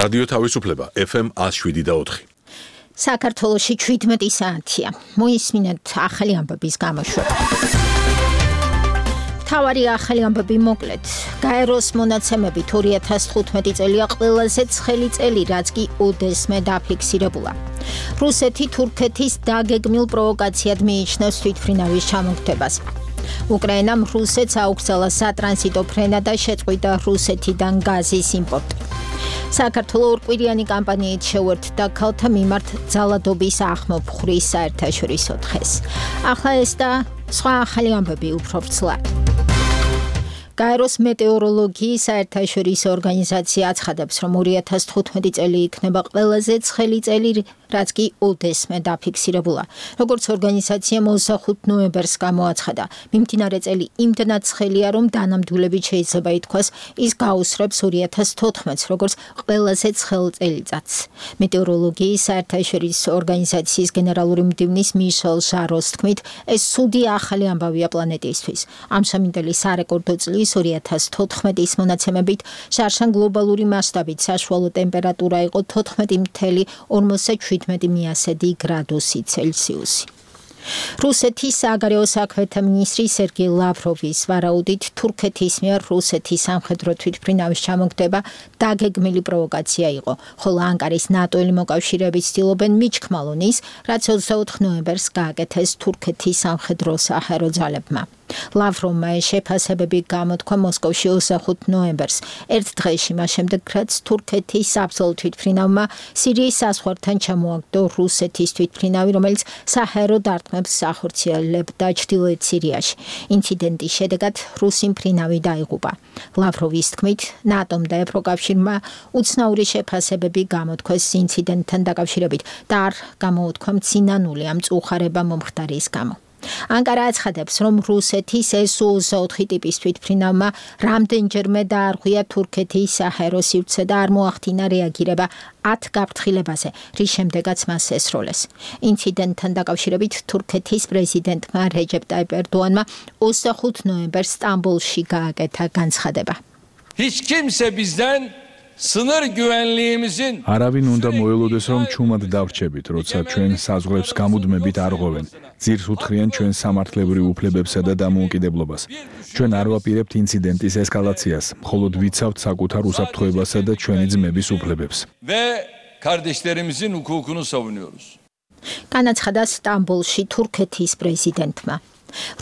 რადიო თავისუფლება FM 107.4. საქართველოში 17 საათია. მოისმინეთ ახალი ამბების გამოშვება. თავარი ახალი ამბები მოკლედ. გაეროს მონაცემებით 2015 წელია ყველაზე ცხელი წელი, რაც კი უდესმე დაფიქსირებულა. რუსეთი თურქეთის დაგეგმილ პროვოკაციად მიიჩნევს თვითმფრინავის ჩამოგდებას. უკრაინამ რუსეთს აუგზავნა სატრანზიტო ფრენა და შეწყვიტა რუსეთიდან გაზის იმპორტი. საქართველოს ორკვირიანი კამპანიით შეუერთდა ქალთა მიმართ ძალადობის ახმოფხვრის საერთაშორისო დღეს. ახლა ეს და სხვა ახალი ამბები უფრო ვრცლად. გაეროს მეტეოროლოგიის საერთაშორისო ორგანიზაცია აცხადებს, რომ 2015 წელი იქნება ყველაზე ცხელი წელი, რაც კი უდესმე დაფიქსირებულა. როგორც ორგანიზაციამ 25 ნოემბერს გამოაცხადა, მიმდინარე წელი იმდენად ცხელია, რომ დანამდვილებით შეიძლება ითქვას, ის გაუსწრებს 2014-ს, როგორც ყველაზე ცხელ წელიწადს. მეტეოროლოგიის საერთაშორისო ორგანიზაციის გენერალური მდივნის მიშელ ჟაროს თქმით, ეს ცუდი ახალი ამბავია პლანეტისთვის. ამჟამინდელი სარეკორდო წლის 2014-ის მონაცემებით შარშან გლობალური მასშტაბით საშუალო ტემპერატურა იყო 14.47 გრადუსი ცელსიუსი. რუსეთის საგარეო საქმეთა მინისტრი სერგეი ლავროვის ვარაუდით თურქეთის მიერ რუსეთის სამხედრო თვითმფრინავის ჩამოგდება დაგეგმილი პროვოკაცია იყო, ხოლო ანკარის ნატოელი მოკავშირეები ცდილობენ მიჩქმალონ ის, რაც 24 ნოემბერს გააკეთეს თურქეთის სამხედრო საჰაერო ძალებმა. ლავროვმა ეს შეფასებები გამოთქვა მოსკოვში 25 ნოემბერს, ერთ დღეში მას შემდეგ, რაც თურქეთის საბრძოლო თვითმფრინავმა სირიის საზღვართან ჩამოაგდო რუსეთის თვითმფრინავი, რომელიც საჰაერო დარტყმებს ახორციელებდა ჩრდილოეთ სირიაში. ინციდენტის შედეგად რუსი მფრინავი დაიღუპა. ლავროვის თქმით, ნატომ და ევროკავშირმა უცნაური შეფასებები გამოთქვეს ინციდენტთან დაკავშირებით და არ გამოუთქვა მცინანული ამ მწუხარება მომხდარის გამო. ანკარა აცხადებს, რომ რუსეთის S-24 ტიპის თვითმფრინავმა რამდენჯერმე დაარღვია თურქეთის საჰაერო სივრცე და არ მოახდინა რეაგირება 10 გაფრთხილებაზე, რის შემდეგაც მას ესროლეს. ინციდენტთან დაკავშირებით თურქეთის პრეზიდენტმა რეჯეპ ტაიპ ერდოანმა 25 ნოემბერს სტამბოლში გააკეთა განცხადება. Hiç kimse bizden sınır güvenliğimizin არავინ უნდა მოელოდეს, რომ ჩუმად დავრჩებით, როცა ჩვენ საზღვრებს გამუდმებით არღვევენ. ძირს უთხრიან ჩვენ სამართლებრივ უფლებებსა და დამოუკიდებლობას. ჩვენ არ ვაპირებთ ინციდენტის ესკალაციას, მხოლოდ ვიცავთ საკუთარ უსაფრთხოებასა და ჩვენი ძმების უფლებებს. ve kardeşlerimizin hukukunu savunuyoruz. განაცხადა სტამბოლში თურქეთის პრეზიდენტმა.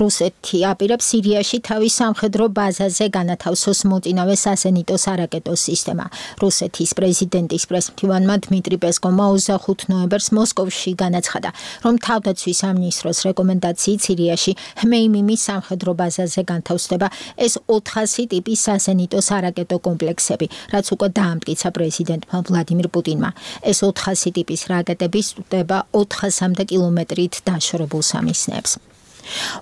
რუსეთი აპირებს სირიაში თავის სამხედრო ბაზაზე განათავსოს მოწინავე სასენიტო სარაკეტო სისტემა. რუსეთის პრეზიდენტის პრესმდივანმა დმიტრი პესკოვმა 25 ნოემბერს მოსკოვში განაცხადა, რომ თავდაცვის სამინისტროს რეკომენდაციით სირიაში ჰმეიმიმის სამხედრო ბაზაზე განთავსდება ეს 400 ტიპის სასენიტო სარაკეტო კომპლექსები, რაც უკვე დაამტკიცა პრეზიდენტმა ვლადიმირ პუტინმა. ეს 400 ტიპის რაკეტები სტუტება 400-მდე კილომეტრით დაშორებულ სამიზნეებს.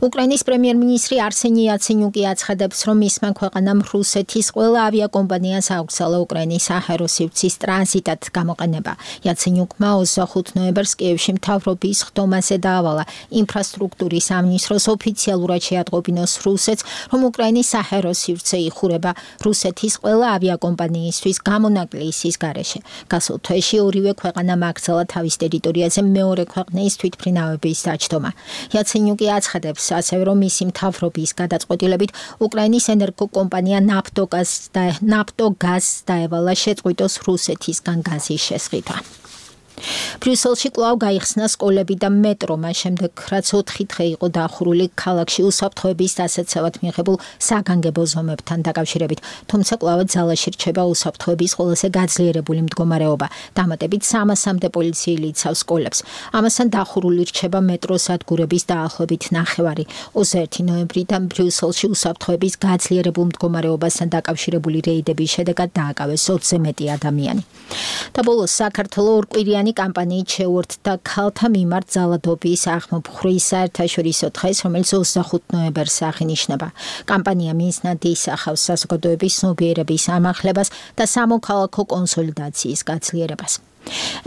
უკრაინის პრემიერ-მინისტრი არსენი იაცენიუკი აცხადებს, რომ მისმა ქვეყანამ რუსეთის ყველა ავიაკომპანიას აუგზავნა უკრაინის საჰაერო სივრცის ტრანზიტად გამოყენება. იაცენიუკმა 25 ნოემბერს კიევში მთავრობის ხდომაზე დაავალა ინფრასტრუქტურის სამინისტროს ოფიციალურად შეატყობინოს რუსეთს, რომ უკრაინის საჰაერო სივრცე იხურება რუსეთის ყველა ავიაკომპანიისთვის გამონაკლისის გარეშე. გასულ თვეში ორივე ქვეყანამ აკრძალა თავის ტერიტორიაზე მეორე ქვეყნის თვითმფრინავების დაჯდომა. იაცენიუკი აცხადებს ასევე, რომ მისი მთავრობის გადაწყვეტილებით უკრაინის ენერგოკომპანია ნაფტოგაზს დაევალა შეწყვიტოს რუსეთისგან გაზის შესყიდვა. ბრიუსელში კვლავ გაიხსნა სკოლები და მეტრო, მას შემდეგ, რაც 4 დღე იყო დახურული ქალაქში უსაფრთხოების დასაცავად მიღებულ საგანგებო ზომებთან დაკავშირებით, თუმცა კვლავ ძალაში რჩება უსაფრთხოების ყველაზე გაძლიერებული მდგომარეობა. დამატებით 300-მდე პოლიციელი იცავს სკოლებს. ამასთან დახურული რჩება მეტროს სადგურების დაახლოებით 9-ვარი. 21 ნოემბრიდან ბრიუსელში უსაფრთხოების გაძლიერებულ მდგომარეობასთან დაკავშირებული რეიდების შედეგად დააკავეს 20-ზე მეტი ადამიანი. და ბოლოს საქართველოს ორკვირიანი კამპანიით შეუერთდა ქალთა მიმართ ძალადობის ახმოფხვრის საერთაშორისო დღეს, რომელიც 25 ნოემბერს აღინიშნება. კამპანია მიზნად ისახავს საზოგადოების ცნობიერების ამაღლებას და სამოქალაქო კონსოლიდაციის გაძლიერებას.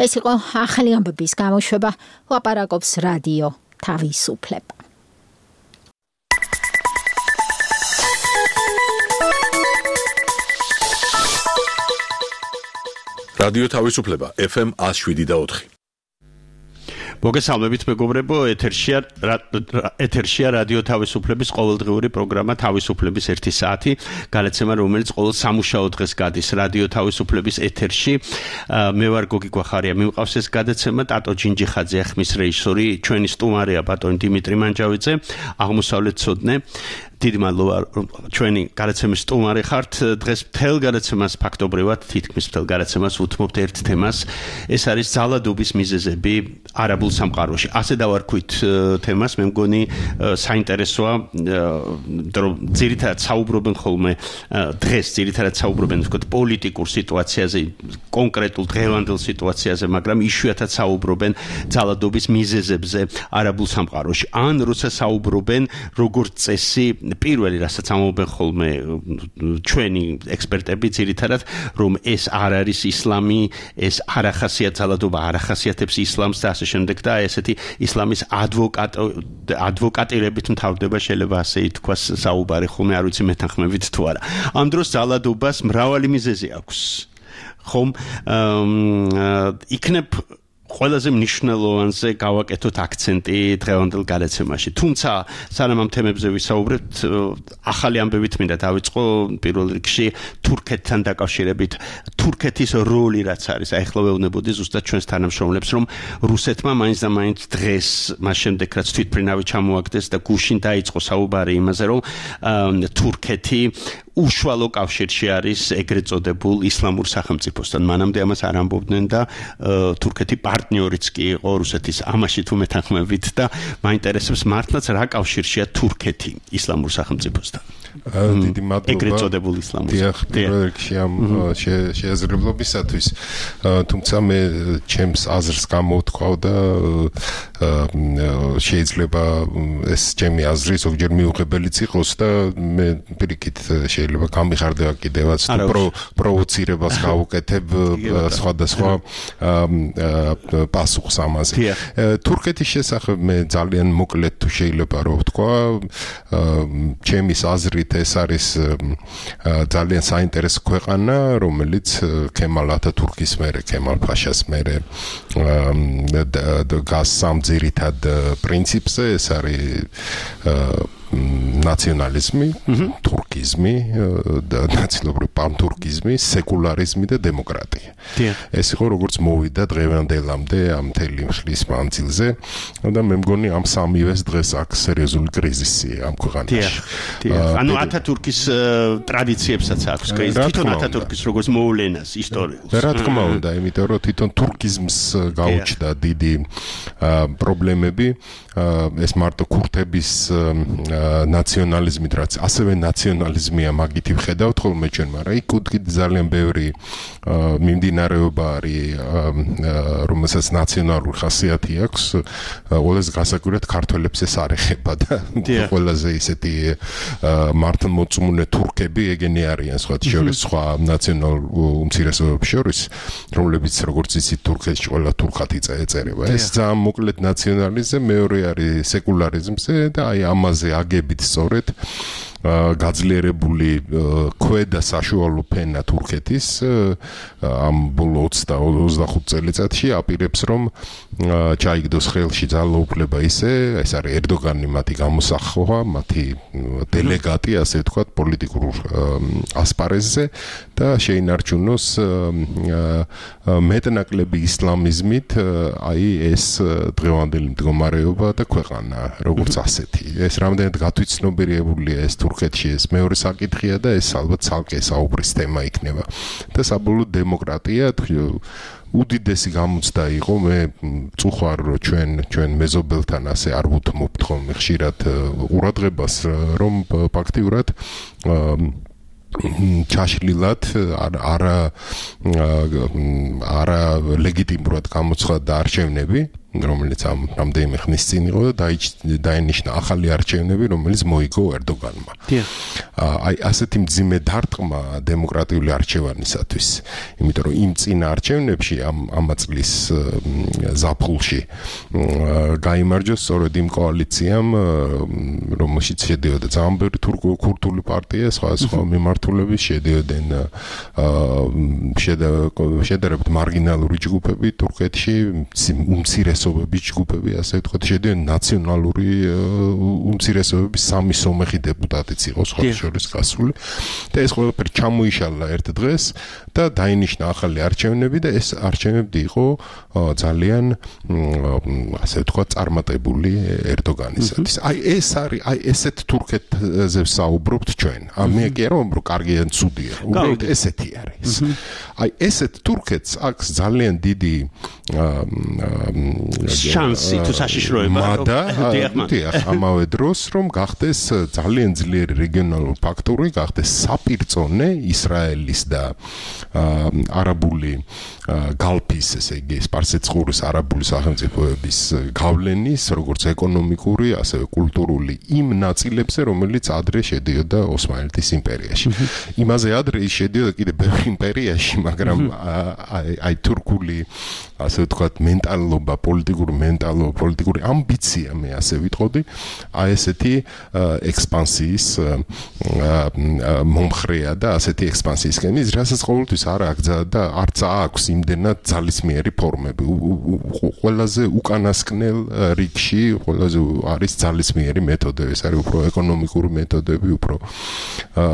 ეს იყო ახალი ამბების გამოშვება. ლაპარაკობს რადიო თავისუფლება. რადიო თავისუფლება FM 107.4. მოგესალმებით მეგობრებო, ეთერშია რადიო თავისუფლების ყოველდღიური პროგრამა თავისუფლების 1 საათი, გადაცემა რომელიც ყოველ სამუშაო დღეს გადის რადიო თავისუფლების ეთერში. მე ვარ გოგი გვახარია, მიმყავს ეს გადაცემა ტატო ჯინჯიხაძე, ხმის რეჟისორი, ჩვენი სტუმარია ბატონი დიმიტრი მანჯავიძე, აღმოსავლეთ ცოდნე. დიდი მადლობა ჩვენი გადაცემის სტუმარი ხართ. დღეს მთელ გადაცემას ფაქტობრივად თითქმის მთელ გადაცემას ვუთმობთ ერთ თემას. ეს არის ძალადობის მიზეზები არაბულ სამყაროში. ასე დავარქვით თემას, მე მგონი საინტერესოა, რომ ძირითადად საუბრობენ ხოლმე დღეს ძირითადად საუბრობენ ვთქვათ პოლიტიკურ სიტუაციაზე, კონკრეტულ დღევანდელ სიტუაციაზე, მაგრამ იშვიათად საუბრობენ ძალადობის მიზეზებზე არაბულ სამყაროში. ან როცა საუბრობენ როგორც წესი პირველი რასაც ამობენ ხოლმე ჩვენი ექსპერტები ძირითადად რომ ეს არ არის ისლამი, ეს არ ახასიათებს ძალადობა, არ ახასიათებს ისლამს და ასე შემდეგ და ესეთი ისლამის ადვოკატირებით მთავრდება შეიძლება ასე ითქვას საუბარი ხოლმე არ ვიცი მეთანხმებით თუ არა. ამ დროს ძალადობას მრავალი მიზეზი აქვს. ხომ იქნებ ყველაზე მნიშვნელოვანზე გავაკეთოთ აქცენტი დღევანდელ გადაცემაში. თუმცა სანამ ამ თემებზე ვისაუბრებთ, ახალი ამბებით მინდა დავიწყო პირველ რიგში თურქეთთან დაკავშირებით. თურქეთის როლი რაც არის, აი ახლა ვეუბნებოდი ზუსტად ჩვენს თანამშრომლებს, რომ რუსეთმა მაინც და მაინც დღეს, მას შემდეგ რაც თვითმფრინავი ჩამოაგდეს და გუშინ დაიწყო საუბარი იმაზე, რომ თურქეთი უშუალო კავშირში არის ეგრეთ წოდებულ ისლამურ სახელმწიფოსთან. მანამდე ამას არ ამბობდნენ და თურქეთი პარტნიორიც კი იყო რუსეთის ამაში თუ მეთანხმებით და მაინტერესებს მართლაც რა კავშირშია თურქეთი ისლამურ სახელმწიფოსთან. დიდი მადლობა. ეგრეთ წოდებულ ისლამურ. პირველ რიგში ამ შეეზრებლობისათვის, თუმცა მე ჩემს აზრს გამოვთქვავ და შეიძლება ეს ჩემი აზრი ზოგჯერ მიუღებელიც იყოს და მე პირიქით შეიძლება გამიხარდება კიდევაც პროვოცირებას გავუკეთებ სხვადასხვა პასუხს ამაზე. თურქეთის შესახებ მე ძალიან მოკლედ თუ შეიძლება რომ ვთქვა, ჩემის აზრით ეს არის ძალიან საინტერესო ქვეყანა, რომელიც ქემალ ათათურქის მერე, ქემალ ფაშას მერე გას სამ ძირითად პრინციპზე, ეს არის ნაციონალიზმი, თურქიზმი და ნაცნობრივი პანთურქიზმი, სეკულარიზმი და დემოკრატია. ეს იყო როგორც მოვიდა დღევანდელამდე ამ მთელი ხნის მანძილზე და მე მგონი ამ სამივეს დღეს აქვს სერიოზული კრიზისი ამ ქვეყანაში. ანუ ათათურქის ტრადიციებსაც აქვს კრიზისი. თვითონ ათათურქის როგორც მოვლენას ისტორიულს. რა თქმა უნდა, იმიტომ რომ თვითონ თურქიზმს გაუჩნდა დიდი პრობლემები. ეს მარტო ქურთების ნაციონალიზმით, რაც ასევე ნაციონალიზმია, მაგითი ვხედავთ ხოლმე ჩვენ, მაგრამ იქ კიდე ძალიან ბევრი მიმდინარეობა არის, რომელსაც ნაციონალური ხასიათი აქვს. ყველაზე გასაკვირად ქართველებს ეს არ ეხება და ყველაზე ისეთი მართლმორწმუნე თურქები ეგენი არიან სხვა ნაციონალურ უმცირესობებს შორის, რომლებიც როგორც იცით თურქეთში ყველა თურქად ეწერება. ეს ძალიან მოკლედ ნაციონალიზმზე, მეორე არის სეკულარიზმზე და აი ამაზე აგებით სწორედ გაძლიერებული ქვედა საშუალო ფენა თურქეთის ამ ბოლო 20-25 წელიწადში აპირებს რომ ჩაიგდოს ხელში ძალაუფლება ისე, ეს არის ერდოგანი მათი გამოსახვა, მათი დელეგატი, ასე ვთქვათ, პოლიტიკურ ასპარეზზე და შეინარჩუნოს მეტნაკლები ისლამიზმით აი ეს დღევანდელი მდგომარეობა და ქვეყანა როგორც ასეთი. ეს რამდენად გათვითცნობიერებულია ეს თურქეთში, ეს მეორე საკითხია და ეს ალბათ ცალკე საუბრის თემა იქნება. და საბოლოოდ დემოკრატია უდიდესი გამოცდა იყო, მე წუხარ ჩვენ მეზობელთან ასე არ ვუთმობთ ხოლმე ხშირად ყურადღებას, რომ ფაქტიურად ჩაშლილად არა ლეგიტიმურად გამოცხადდა არჩევნები რომელიც ამ რამდენიმე ხნის წინ იყო და დაინიშნა ახალი არჩევნები, რომელიც მოიგო ერდოგანმა. აი ასეთი მძიმე დარტყმა დემოკრატიული არჩევანისათვის, იმიტომ რომ იმ წინა არჩევნებში ამ წლის ზაფხულში გაიმარჯვეს სწორედ იმ კოალიციამ, რომელშიც შედიოდა ძალიან ბევრი ქურთული პარტია, სხვა მიმართულების შედიოდნენ შედარებით მარგინალური ჯგუფები თურქეთში, უმცირესობების ჯგუფები, ასე ვთქვათ, შედიოდნენ ნაციონალური უმცირესობების სამი სომეხი დეპუტატიც იყო სხვა შორის გასული და ეს ყველაფერი ჩამოიშალა ერთ დღეს და დაინიშნა ახალი არჩევნები და ეს არჩევნები იყო ძალიან ასე ვთქვათ წარმატებული ერდოგანისათვის. აი ეს არის, აი ესეთ თურქეთზე ვსაუბრობთ ჩვენ. მე კი არ ვამბობ კარგია ან ცუდია, უბრალოდ ესეთი არის. აი ესეთ თურქეთს აქვს ძალიან დიდი შანსი თუ საშიშროება ამავე დროს რომ გახდეს ძალიან ძლიერი რეგიონალური ფაქტორი, გახდეს საპირწონე ისრაელის და არაბული გალფის, ესე იგი სპარსეთწყურის არაბული სახელმწიფოების გავლენის, როგორც ეკონომიკური, ასევე კულტურული იმ ნაწილებზე, რომელიც ადრე შედიოდა ოსმალეთის იმპერიაში. იმაზე ადრე ის შედიოდა კიდე ბევრ იმპერიაში, მაგრამ აი თურქული ასე ვთქვათ მენტალობა, პოლიტიკური ამბიცია, მე ასე ვიტყოდი, აი ესეთი ექსპანსიის მომხრეა და ასეთი ექსპანსიისკენ ის რასაც ყოველთვის არ აგზა და არც აქვს იმდენად ძალისმიერი ფორმები. ყველაზე უკანასკნელ რიგში ყველაზე არის ძალისმიერი მეთოდები, ეს არის უფრო ეკონომიკური მეთოდები, უფრო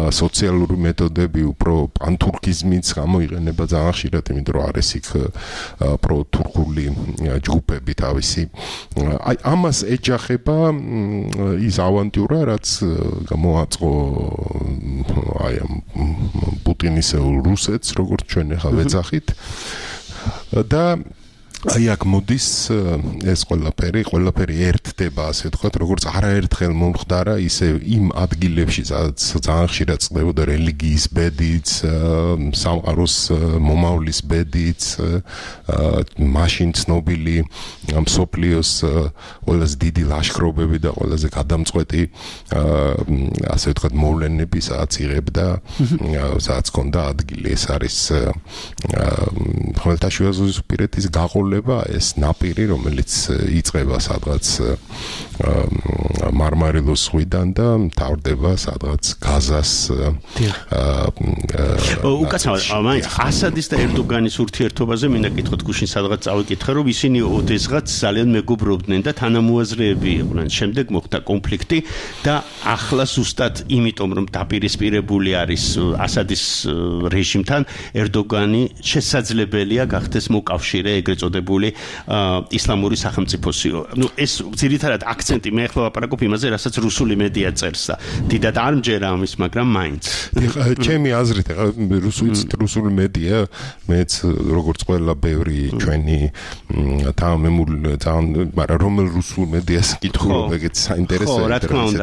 სოციალური მეთოდები, უფრო პანთურქიზმიც გამოიყენება ძალიან ხშირად, იმიტომ რომ არის იქ პროთურქული ჯგუფები თავისი. აი ამას ეჯახება ის ავანტიურა, რაც გამოაწყო აი ამ პუტინისეულ რუსეთს, როგორც ჩვენ ახლა ვეძახით და აი აქ მოდის ეს ყველაფერი ერთდება, ასე ვთქვათ, როგორც არაერთხელ მომხდარა, ისე იმ ადგილებში, სადაც ძალიან ხშირად წყდებოდა რელიგიის ბედიც, სამყაროს მომავლის ბედიც, მაშინ ცნობილი მსოფლიოს ყველაზე დიდი ლაშქრობები და ყველაზე გადამწყვეტი, ასე ვთქვათ, მოვლენები, სადაც იღებდა, სადაც ჰქონდა ადგილი. ეს არის ხმელთაშუა ზღვისპირეთის გაყოლება, ეს ნაპირი, რომელიც იწყება სადღაც მარმარილოს ზღვიდან და მთავრდება სადღაც გაზას უკაცრავად ასადის და ერდოგანის ურთიერთობაზე მინდა კითხოთ გუშინ სადღაც წავიკითხე, რომ ისინი ოდესღაც ძალიან მეგობრობდნენ და თანამოაზრეები იყვნენ. შემდეგ მოხდა კონფლიქტი და ახლა ზუსტად იმიტომ რომ დაპირისპირებული არის ასადის რეჟიმთან, ერდოგანი შესაძლებელია გახდეს მოკავშირე ეგრეთ წოდებული ისლამური სახელმწიფოსიო. ნუ ეს ძირითადად აქცენტი მე ახლა ვაპარაკობ იმაზე, რასაც რუსული მედია წერს და დიდად არ მჯერა ამის, მაგრამ მაინც. ჩემი აზრით, რუსული მედია, მეც როგორც ყველა ბევრი ჩვენი თანამემული, მაგრამ რომელ რუსულ მედიას კითხულობ, ეგეც საინტერესოა,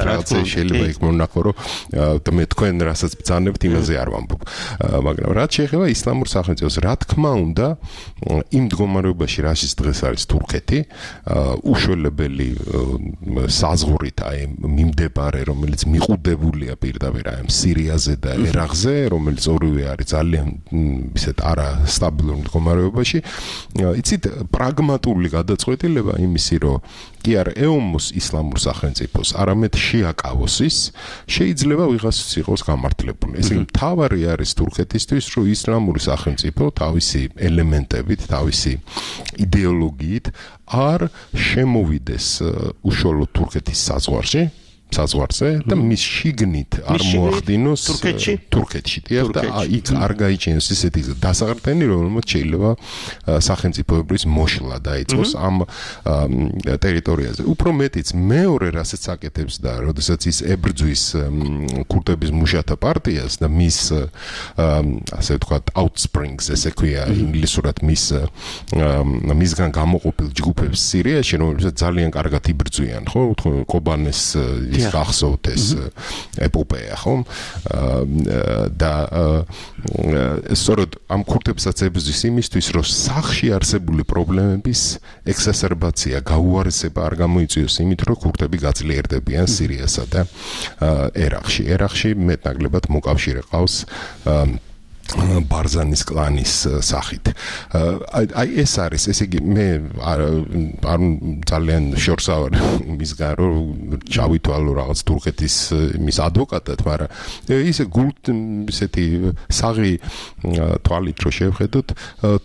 რაღაცა შეიძლება იქ მონახო, რომ მე თქვენ რასაც ბრძანებთ, იმაზე არ ვამბობ. მაგრამ რაც შეეხება ისლამურ სახელმწიფოს, რა თქმა უნდა, იმ მდგომარეობაში რაშიც დღეს არის თურქეთი, უშველებელი საზღვრით აი მიმდებარე, რომელიც მიყუდებულია პირდაპირ აი სირიაზე და ერაყზე, რომელიც ორივე არის ძალიან ისეთ არასტაბილურ მდგომარეობაში. იცით, პრაგმატული გადაწყვეტილება იმისი, რომ კი არ ეომოს ისლამურ სახელმწიფოს, არამედ შეაკავოს, შეიძლება ვიღაცას იყოს გამართლებული. ესე იგი, მთავარი არის თურქეთისთვის, რომ ისლამური სახელმწიფო თავისი ელემენტებით, თავისი იდეოლოგიით არ შემოვიდეს უშუალოდ თურქეთის საზღვარზე და მის შიგნით არ მოახდინოს თურქეთში და იქ არ გაიჩენოს ისეთი დასაყრდენი, რომელმაც შეიძლება სახელმწიფოებრივ მოშლა დაიწყოს ამ ტერიტორიაზე. უფრო მეტიც მეორე რასაც აკეთებს და როდესაც ის ებრძვის ქურთების მუშათა პარტიას და მის ასე ვთქვათ outsprings, ესე ქვია ინგლისურად მისგან გამოყოფილ ჯგუფებს სირიაში, რომლებსაც ძალიან კარგად იბრძვიან, ხო, კობანეს გახსოვთ ეს ეპოპეა, ხო? და სწორედ ამ ქურთებსაც ებრძვის იმისთვის, რომ სახში არსებული პრობლემების ექსასერბაცია, გაუარესება არ გამოიწვიოს იმით, რომ ქურთები გაძლიერდებიან სირიასა და ერაყში. ერაყში მეტნაკლებად მოკავშირე ყავს ბარზანის კლანის სახით. აი ეს არის, ესე იგი მე არ ძალიან შორს ავარ მისგან რომ ჩავითვალო რაღაც თურქეთის მის ადვოკატად, მაგრამ ისე ისეთი საღი თვალით რო შევხედოთ,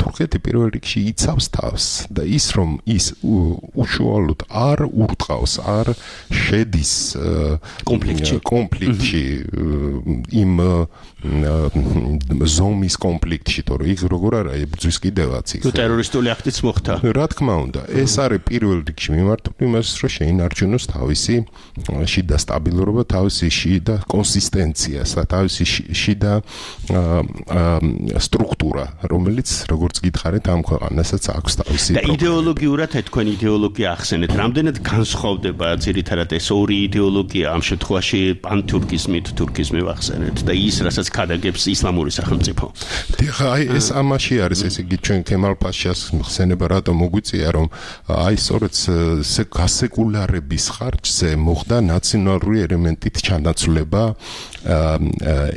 თურქეთი პირველ რიგში იცავს თავს და ის რომ ის უშუალოდ არ ურტყავს, არ შედის კონფლიქტში იმ ზომის კონფლიქტში, თორე იქ როგორ არა ებრძვის კიდევაც იქ. ტერორისტული აქტიც მოხდა. რა თქმა უნდა, ეს არის პირველ რიგში მიმართული იმას, რომ შეინარჩუნოს თავისი შიდა სტაბილურობა, თავისი შიდა კონსისტენცია, თავისი შიდა სტრუქტურა, რომელიც როგორც გითხარით, ამ ქვეყანასაც აქვს თავისი. და იდეოლოგიურად თქვენ იდეოლოგია ახსენეთ, რამდენად განსხვავდება ძირითადად ეს ორი იდეოლოგია ამ შემთხვევაში პანთურქიზმით, თურქიზმი ვახსენეთ და ის, რასაც ქადაგებს ისლამური სახელმწიფო. აი ეს ამაში არის, ესე იგი ჩვენ ქემალ პაშას ხსენება რატომ მოგვიწია, რომ აი სწორედ გასეკულარების ხარჯზე მოხდა ნაციონალური ელემენტით ჩანაცვლება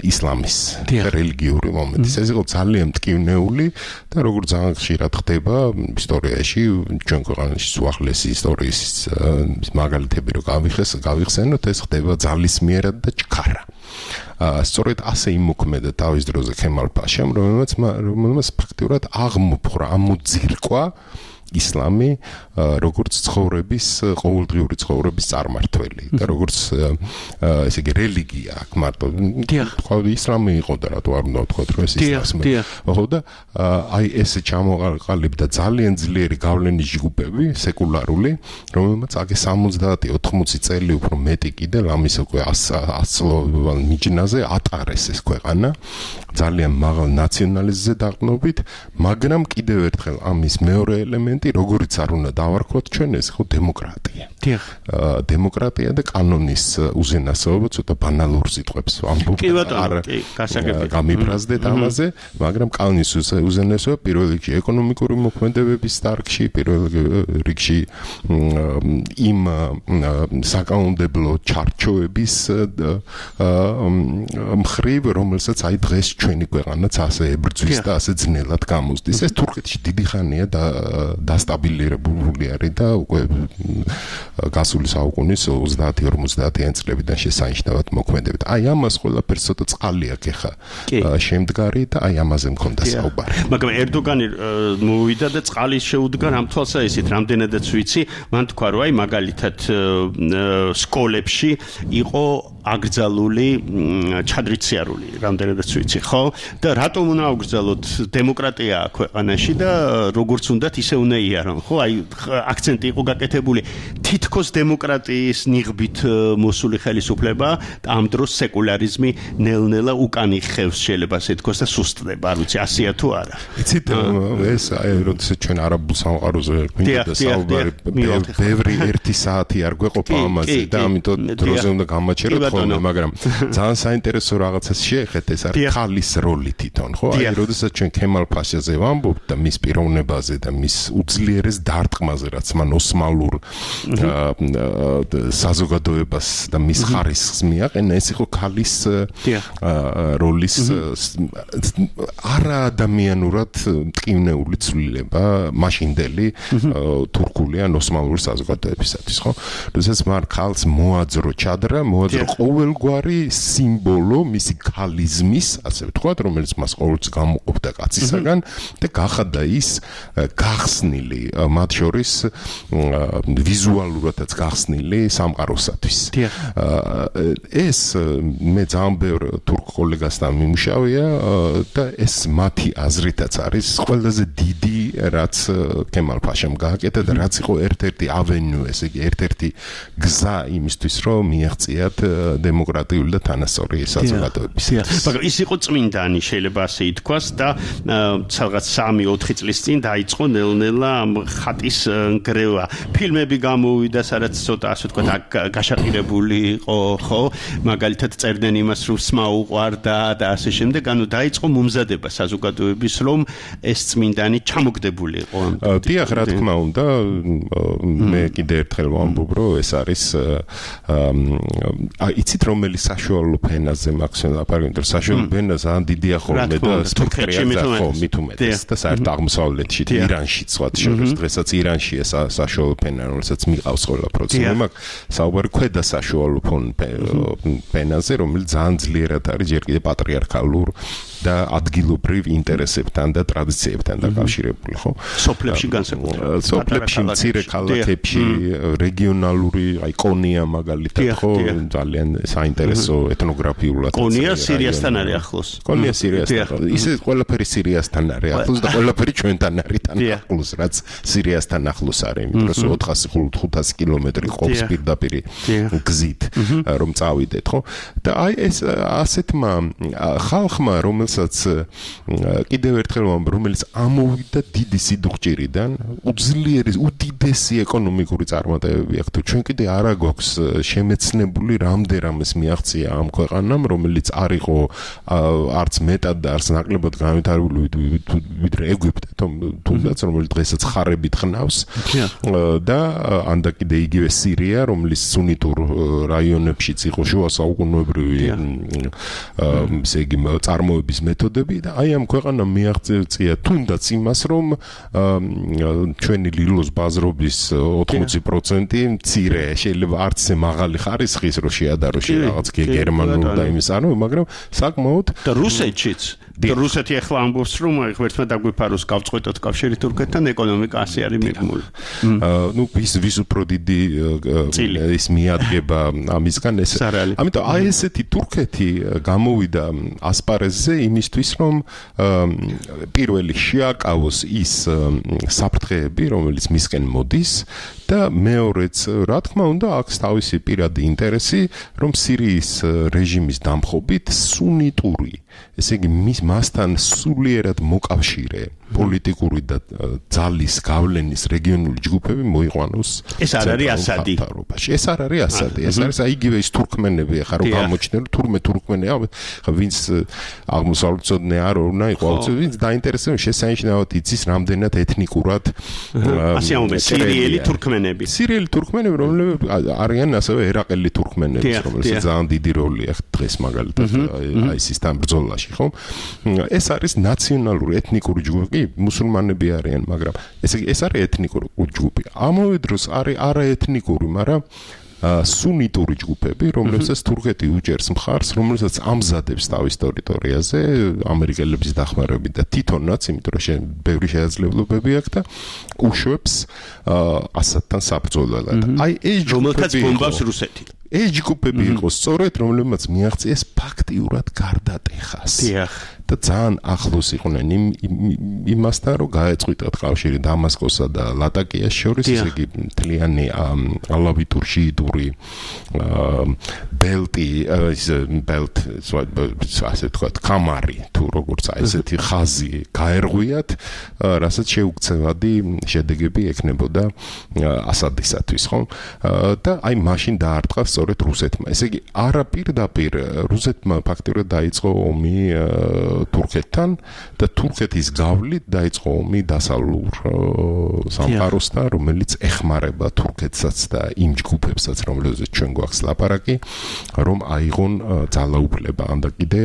ისლამის რელიგიური მომენტის. ეს იყო ძალიან მტკივნეული და როგორც ძალიან ხშირად ხდება ისტორიაში, ჩვენ ქვეყანაში უახლესი ისტორიის მაგალითები რო გავიხსენოთ, ეს ხდება ძალისმიერად და ჩქარა. სწორედ ასე იმოქმედა თავის დროზე ქემალ პაშამ, რომელმაც ფაქტიურად აღმოფხვრა, ამოძირკვა ისლამი როგორც ცხოვრების, ყოველდღიური ცხოვრების წარმართველი და როგორც ესე იგი რელიგია აქ მარტო ისლამი იყო და რატო არ უნდა ვთქვათ, რომ ეს ისლამი ხო და აი ეს ჩამოყალიბდა ძალიან ძლიერი გავლენის ჯგუფები, სეკულარული, რომელმაც აქ 70-80 წელი უფრო მეტი კიდე ამის უკვე 100 წლოვან მიჯნაზე ატარეს ეს ქვეყანა ძალიან მაღალ ნაციონალიზმზე დაყრდნობით, მაგრამ კიდევ ერთხელ ამის მეორე ელემენტი, როგორიც არ უნდა დავარქვათ ჩვენ, ეს ხო დემოკრატია. დემოკრატია და კანონის უზენასაობა, ცოტა ბანალურ სიტყვებს ვამბობ. გამიფრაზდეთ ამაზე, მაგრამ კანონის უზენასაობა პირველ რიგში ეკონომიკური მოქმედებების დარგში, პირველ რიგში იმ საკანონმდებლო ჩარჩოების მხრივ, რომელსაც აი დღეს ჩვენი ქვეყანაც ასე ებრძვის და ასე ძნელად გამოსდის. ეს თურქეთში დიდი ხანია დასტაბილირებული არის და უკვე გასული საუკუნის 30-50 წლებიდან შესანიშნავად მოქმედებით. აი ამას ყველაფერს ცოტა წყალი აქვს ეხა შემდგარი და აი ამაზე მქონდა საუბარი. მაგრამ ერდოგანი მოვიდა და წყალი შეუდგა ამ თვალსაჩინოდ, რამდენადაც ვიცი, მან თქვა, რომ აი მაგალითად სკოლებში იყო აკრძალული ჩადრიციარული, რამდენადაც ვიცი, ხო? და რატომ უნდა აკრძალოთ დემოკრატია ქვეყანაში და როგორც უნდათ ისე უნდა იარონ, ხო? აი აქცენტი იყო გაკეთებული თითქოს დემოკრატიის ნიღბით მოსული ხელისუფლება და ამ დროს სეკულარიზმი ნელ-ნელა უკან იხევს, შეიძლება ასე თქოს და სუსტდება, არ ვიცი, ასეა თუ არა. იცით, ეს აი როდესაც ჩვენ არაბულ სამყაროზე გვინდა საუბარი, ბევრი 1 საათი არ გვეყოფა ამაზე და ამიტომ დროზე უნდა გამაჩეროთ ხოლმე, მაგრამ ძალიან საინტერესო რაღაცას შეეხეთ, ეს არის ხალის როლი თვითონ, ხო? აი როდესაც ჩვენ ქემალ პაშაზე ვამბობთ და მის პიროვნებაზე და მის უძლიერეს დარტყმაზე, რაც მან ოსმალურ საზოგადოებას და მის ხარისხს მიაყენა, ეს იყო ქალის როლის არაადამიანურად მტკივნეული ცვლილება მაშინდელი თურქული ან ოსმალური საზოგადოებისათვის, ხო? როდესაც მან ქალს მოაძრო ჩადრა, მოაძრო ყოველგვარი სიმბოლო მისი ქალიზმის, ასე ვთქვათ, რომელიც მას ყოველთვის გამოყოფდა კაცისაგან და გახადა ის გახსნილი, მათ შორის ვიზუალურადაც გახსნილი სამყაროსათვის. ეს მე ძალიან ბევრ თურქ კოლეგასთან მიმუშავია და ეს მათი აზრითაც არის ყველაზე დიდი, რაც ქემალ პაშამ გააკეთა და რაც იყო ერთ-ერთი ავენიუ, ესე იგი ერთ-ერთი გზა იმისთვის, რომ მიაღწიათ დემოკრატიული და თანასწორი საზოგადოების. მაგრამ ის იყო წმინდანი, შეიძლება ასე ითქვას და რაღაც 3-4 წლის წინ დაიწყო ნელ-ნელა ამ ხატის ნგრევა. ფილმები გამოვიდა გამოვიდა, სადაც ცოტა ასე ვთქვათ, გაშაყირებული იყო, ხო? მაგალითად წერდნენ იმას, რომ სმა უყვარდა და ასე შემდეგ, ანუ დაიწყო მომზადება საზოგადოების, რომ ეს წმინდანი ჩამოგდებულიყო. დიახ, რა თქმა უნდა, მე კიდე ერთხელ ვამბობ, რომ ეს არის იცით რომელი საშუალო ფენაზე მაქვს ლაპარაკი, რომ საშუალო ფენა ძალიან დიდია ხოლმე და სპექტრია მით უმეტეს და საერთოდ აღმოსავლეთში, ირანშიც ვთქვათ, შორის დღესაც ირანშია საშუალო ფენა, რომელსაც მიყავს ყველა პროცესი, მაგრამ საუბარი ქვედა საშუალო ფენაზე, რომელიც ძალიან ძლიერად არის ჯერ კიდევ პატრიარქალურ და ადგილობრივ ინტერესებთან და ტრადიციებთან დაკავშირებული, ხო? სოფლებში განსაკუთრებით. სოფლებში, მცირე ქალაქებში, რეგიონალური, აი კონია მაგალითად, ხო, ძალიან საინტერესო ეთნოგრაფიულად. კონია სირიასთან არის ახლოს. კონია სირიასთან. ისე ყველაფერი სირიასთან არის ახლოს და ყველაფერი ჩვენთან არის ახლოს, რაც სირიასთან ახლოს არის, იმიტომ რომ 400-500 კილომეტრი ყოფს პირდაპირ გზით, რომ წავიდეთ, ხო? და აი ეს ასეთმა ხალხმა, რომელსაც კიდევ ერთხელ ვამბობ, რომელიც ამოვიდა დიდი სიდუხჭირიდან, უძლიერეს უდიდესი ეკონომიკური წარმატებები აქვს. თუ ჩვენ კიდე არა გვაქვს შემეცნებული რამდენადაც მიაღწია ამ ქვეყანამ, რომელიც არ იყო არც მეტად და არც ნაკლებად განვითარებული ვიდრე ეგვიპტე, თუნდაც რომელიც დღესაც ხარებით ხნავს და ანდა კიდე იგივე სირია, რომელიც სუნიტურ რაიონებშიც იყო შუა საუკუნეებრივი ესე იგი წარმოების მეთოდები და აი ამ ქვეყანამ მიაღწია თუნდაც იმას, რომ ჩვენი ლილოს ბაზრობის 80% მცირე, შეიძლება არც ისე მაღალი ხარისხის რო შეადაროში რაღაც გერმანულ და იმის ანუ, მაგრამ საკმაოდ და რუსეთშიც და რუსეთი ახლა ამბობს, რომ ერთმა დაგვიფაროს გავწყვეტოთ კავშირი თურქეთთან, ეკონომიკა ასე არის მიღმული. ნუ ვის უფრო დიდი ის მიადგება ამისგან ეს. ამიტომ აი ესეთი თურქეთი გამოვიდა ასპარეზზე იმისთვის, რომ პირველი შეაკავოს ის საფრთხეები, რომელიც მისკენ მოდის და მეორეც, რა თქმა უნდა, აქვს თავისი პირადი ინტერესი, რომ სირიის რეჟიმის დამხობით სუნიტური, ესე იგი მასთან სულიერად მოკავშირე პოლიტიკური და ძალის გავლენის რეგიონული ჯგუფები მოიყვანოს. ეს არ არის ასადი. ეს არ არის ასადი. ეს არის იგივე ის თურქმენები, ახლა რომ გამოჩნდნენ, თურქმენია, ვინც აღმოსავლეთწოდნე არ უნდა იყო, ვინც დაინტერესებული შესანიშნავად იცის რამდენად ეთნიკურად ასე ამბობენ სირიელი თურქმენები. სირიელი თურქმენები, რომლებიც არიან ასევე ერაყელი თურქმენები, რომელსაც ძალიან დიდი როლი აქვს დღეს მაგალითად ISIS-თან ბრძოლაში, ხო? ეს არის ნაციონალური ეთნიკური ჯგუფი, მუსულმანები არიან, მაგრამ ეს არის ეთნიკური ჯგუფი. ამავე დროს არის არაეთნიკური, მაგრამ სუნიტური ჯგუფები, რომლებსაც თურქეთი უჭერს მხარს, რომელსაც ამზადებს თავის ტერიტორიაზე ამერიკელების დახმარებით და თვითონაც, იმიტომ რომ ბევრი შესაძლებლობები აქვს და უშვებს ასადთან საბრძოლველად. აი ეს რომელთაც ბომბავს რუსეთი. ეს ჯგუფები იყო სწორედ, რომლებმაც მიაღწიეს ფაქტიურად გარდატეხას. და ძალიან ახლოს იყვნენ იმასთან, რომ გაეწყვიტათ კავშირი დამასკოსა და ლატაკიას შორის, ესე იგი მთლიანი ალავიტურ-შიიტური ბელტი, ასე ვთქვათ, კამარი, თუ როგორც ესეთი ხაზი გაერღვიათ, რასაც შეუქცევადი შედეგები ექნებოდა ასადისათვის, ხო? და აი მაშინ დაარტყა სწორედ რუსეთმა. ესე იგი, არა პირდაპირ რუსეთმა ფაქტიურად დაიწყო ომი თურქეთთან და თურქეთის გავლით დაიწყო ომი დასავლურ სამყაროსთან, რომელიც ეხმარება თურქეთსაც და იმ ჯგუფებსაც, რომლებზეც ჩვენ გვაქვს ლაპარაკი, რომ აიღონ ძალაუფლება, ანდა კიდე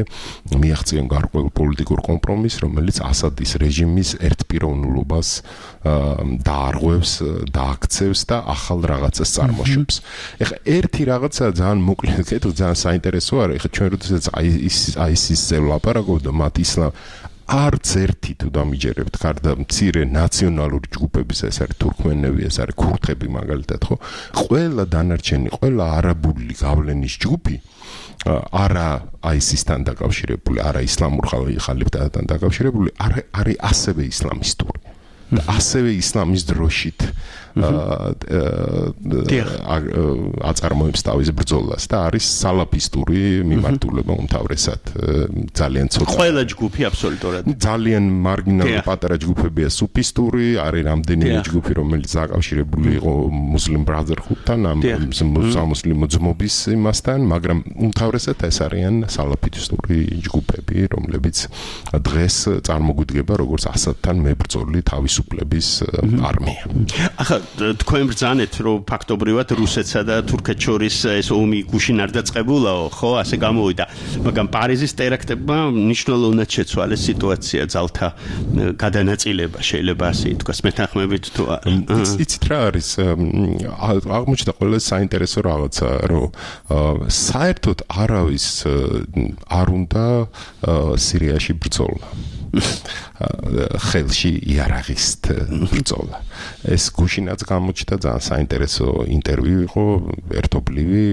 მიაღწიონ გარკვეულ პოლიტიკურ კომპრომისს, რომელიც ასადის რეჟიმის ერთპიროვნულობას დაარღვევს, დააქცევს და ახალ რაღაცას წარმოშვებს. ეხლა ერთი რაღაცა ძალიან მოკლედ, ძალიან საინტერესო არის, ეხლა ჩვენ როდესაც ISIS-ზე ვლაპარაკობ და მათ ისლამ არც ერთი თუ დამიჯერებთ გარდა მცირე ნაციონალური ჯგუფების, ეს არის თურქმენები, ეს არის ქურთები მაგალითად, ხო? ყველა დანარჩენი, ყველა არაბული გავლენის ჯგუფი არა ISIS-თან დაკავშირებული, არა ისლამურ ხალიფთან დაკავშირებული, არის ასევე ისლამისტური. და ასევე ისლამის დროშით აწარმოებს თავის ბრძოლას და არის სალაფისტური მიმართულება უმთავრესად ძალიან ცოტა ყველა ჯგუფი აბსოლუტურად ძალიან მარგინალური პატარა ჯგუფებია სუფისტური არის რამდენიმე ჯგუფი რომელიც დაკავშირებული იყო მუსლიმ ბრაზერჰუდთან ამ სამუსლიმო ძმობის იმასთან მაგრამ უმთავრესად ეს არიან სალაფისტური ჯგუფები რომლებიც დღეს წარმოგვიდგება როგორც ასადთან მებრძოლი თავისუფლების არმია ახლა თქვენ ბრძანეთ რომ ფაქტობრივად რუსეთსა და თურქეთს შორის ეს ომი გუშინ არ დაწყებულაო ხო ასე გამოვიდა მაგრამ პარიზის ტერაქტებმა მნიშვნელოვნად შეცვალეს სიტუაცია ძალთა გადანაწილება შეიძლება ასე ითქვას მეთანხმებით თუ იცით რა არის აღმოჩნდა ყველა საინტერესო რაღაცა რომ საერთოდ არავის არ უნდა სირიაში ბრძოლა ხელში იარაღისტ ბრძოლა ეს გუშინაც გამოჩნდა ძალიან საინტერესო ინტერვიუ იყო ერთობლივი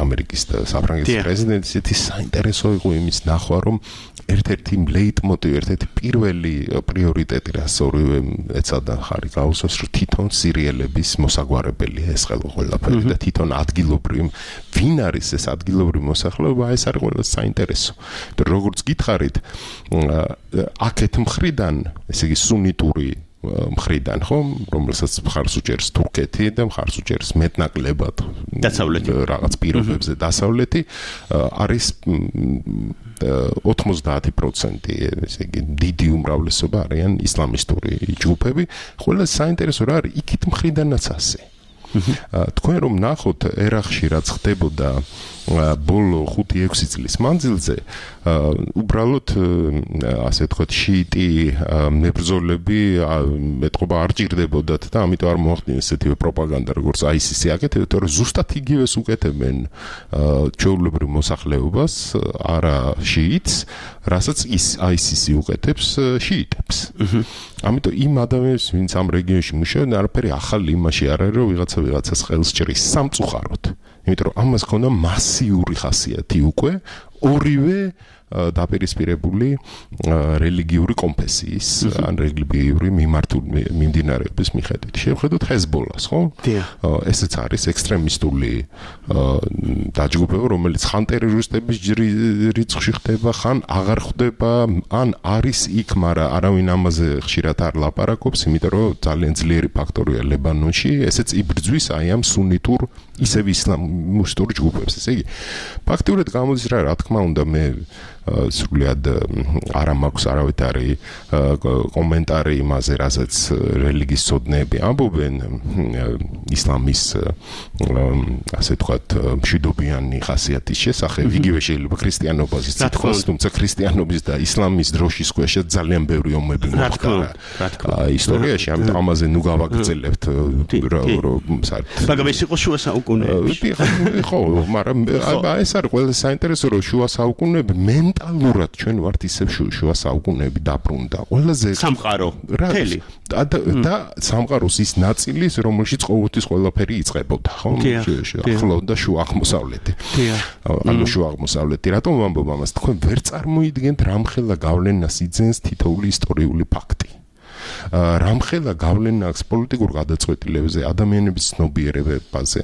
ამერიკის და საფრანგეთის პრეზიდენტის ის საინტერესო იყო იმის ნახვა რომ ერთ-ერთი ლეიტმოტივი ერთ-ერთი პირველი პრიორიტეტი რაც ორივე ეცადა ხარი გაუსვას რომ თვითონ სირიელების მოსაგვარებელია ეს ყველაფერი და თვითონ ადგილობრივი ვინ არის ეს ადგილობრივი მოსახლეობა ეს არის ყველა საინტერესო როგორც გითხარით აქეთ მხრიდან ესე იგი სუნიტური მხრიდან ხო რომელსაც მხარს უჭერს თურქეთი და მხარს უჭერს მეტნაკლებად დასავლეთი რაღაც პირობებზე დასავლეთი არის 90% ესე იგი დიდი უმრავლესობა არიან ისლამისტური ჯგუფები ყველა საინტერესო რა არის იქით მხრიდანაც ასე თქვენ რომ ნახოთ ერახში რაც ხდებოდა ბოლო 5-6 წლის მანძილზე უბრალოდ ასე ვთქვათ შიიტი მებრძოლები მეტყობა არ ჭირდებოდათ და ამიტომ არ მოახდინეს ესეთივე პროპაგანდა როგორც ISIS-ი აკეთებდა თორე ზუსტად იგივეს უკეთებენ ჩვეულებრივ მოსახლეობას არა შიიტს რასაც ISIS-ი უკეთებს შიიტებს ამიტომ იმ ადამიანებს ვინც ამ რეგიონში მუშაობენ არაფერი ახალი იმაში არ არის რომ ვიღაცას ხელს ჭრის სამწუხაროდ იმიტომ რომ ამას ქონდა მასიური ხასიათი უკვე ორივე დაპირისპირებული რელიგიური კონფესიის ან რელიგიური მიმდინარეობის მიხედვით. შევხედოთ ჰეზბოლას, ხო? ესეც არის ექსტრემისტული დაჯგუფება, რომელიც ხან ტერორისტების რიცხვში ხდება, ხან აღარ ხდება, ან არის იქ, მაგრამ არავინ ამაზე ხშირად არ ლაპარაკობს, იმიტომ რომ ძალიან ძლიერი ფაქტორია ლებანონში, ესეც იბრძვის აი ამ სუნიტურ ისევ ისლამისტურ ჯგუფებს. ესე იგი, ფაქტიურად გამოდის რა თქმა უნდა მე სრულად არ მაქვს არავითარი კომენტარი იმაზე, რასაც რელიგიის ცოდნეები ამბობენ ისლამის ასე ვთქვათ მშვიდობიანი ხასიათის შესახებ, იგივე შეიძლება ქრისტიანობაზეც ითქვას, თუმცა ქრისტიანობის და ისლამის დროშის ქვეშ ძალიან ბევრი ომები მოხდა ისტორიაში, ამიტომ ამაზე ნუ გავაგრძელებთ მაგრამ ეს იყო შუა საუკუნეებში. ხო, მაგრამ ეს არის ყველა საინტერესო რომ შუა საუკუნეები მენტალურად ჩვენ ვართ ისევ შუა საუკუნეები დაბრუნდა. ყველაზე სამყარო მთელი და სამყაროს ის ნაწილი, რომელშიც ყოველთვის ყველაფერი იწყებოდა, ხო? ახლო და შუა აღმოსავლეთი. ანუ შუა აღმოსავლეთი. რატომ ვამბობ ამას? თქვენ ვერ წარმოიდგენთ რამხელა გავლენას იძენს თითოეული ისტორიული ფაქტი. რამხელა გავლენა აქვს პოლიტიკურ გადაწყვეტილებებზე, ადამიანების ცნობიერებაზე,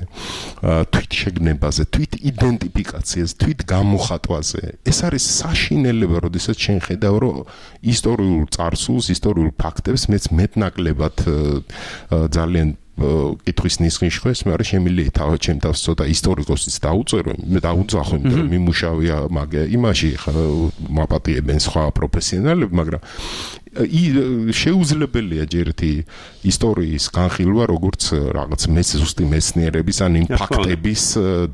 თვით შეგნებაზე, თვით იდენტიფიკაციაზე, თვით გამოხატვაზე. ეს არის საშინელება, როდესაც შენ ხედავ, რომ ისტორიულ წარსულს, ისტორიულ ფაქტებს მეც მეტნაკლებად ძალიან კითხვის ნისხის ხეს, მაგრამ შემიძლია თავად ჩემ თავს ცოტა ისტორიკოსიც დაუწერო, მე დაუძახო, იმიტომ რომ მიმუშავია იმაში მაპატიებენ სხვა პროფესიონალები, მაგრამ შეუძლებელია ჯერ ერთი ისტორიის განხილვა, როგორც რაღაც ზუსტი მეცნიერების ან იმ ფაქტების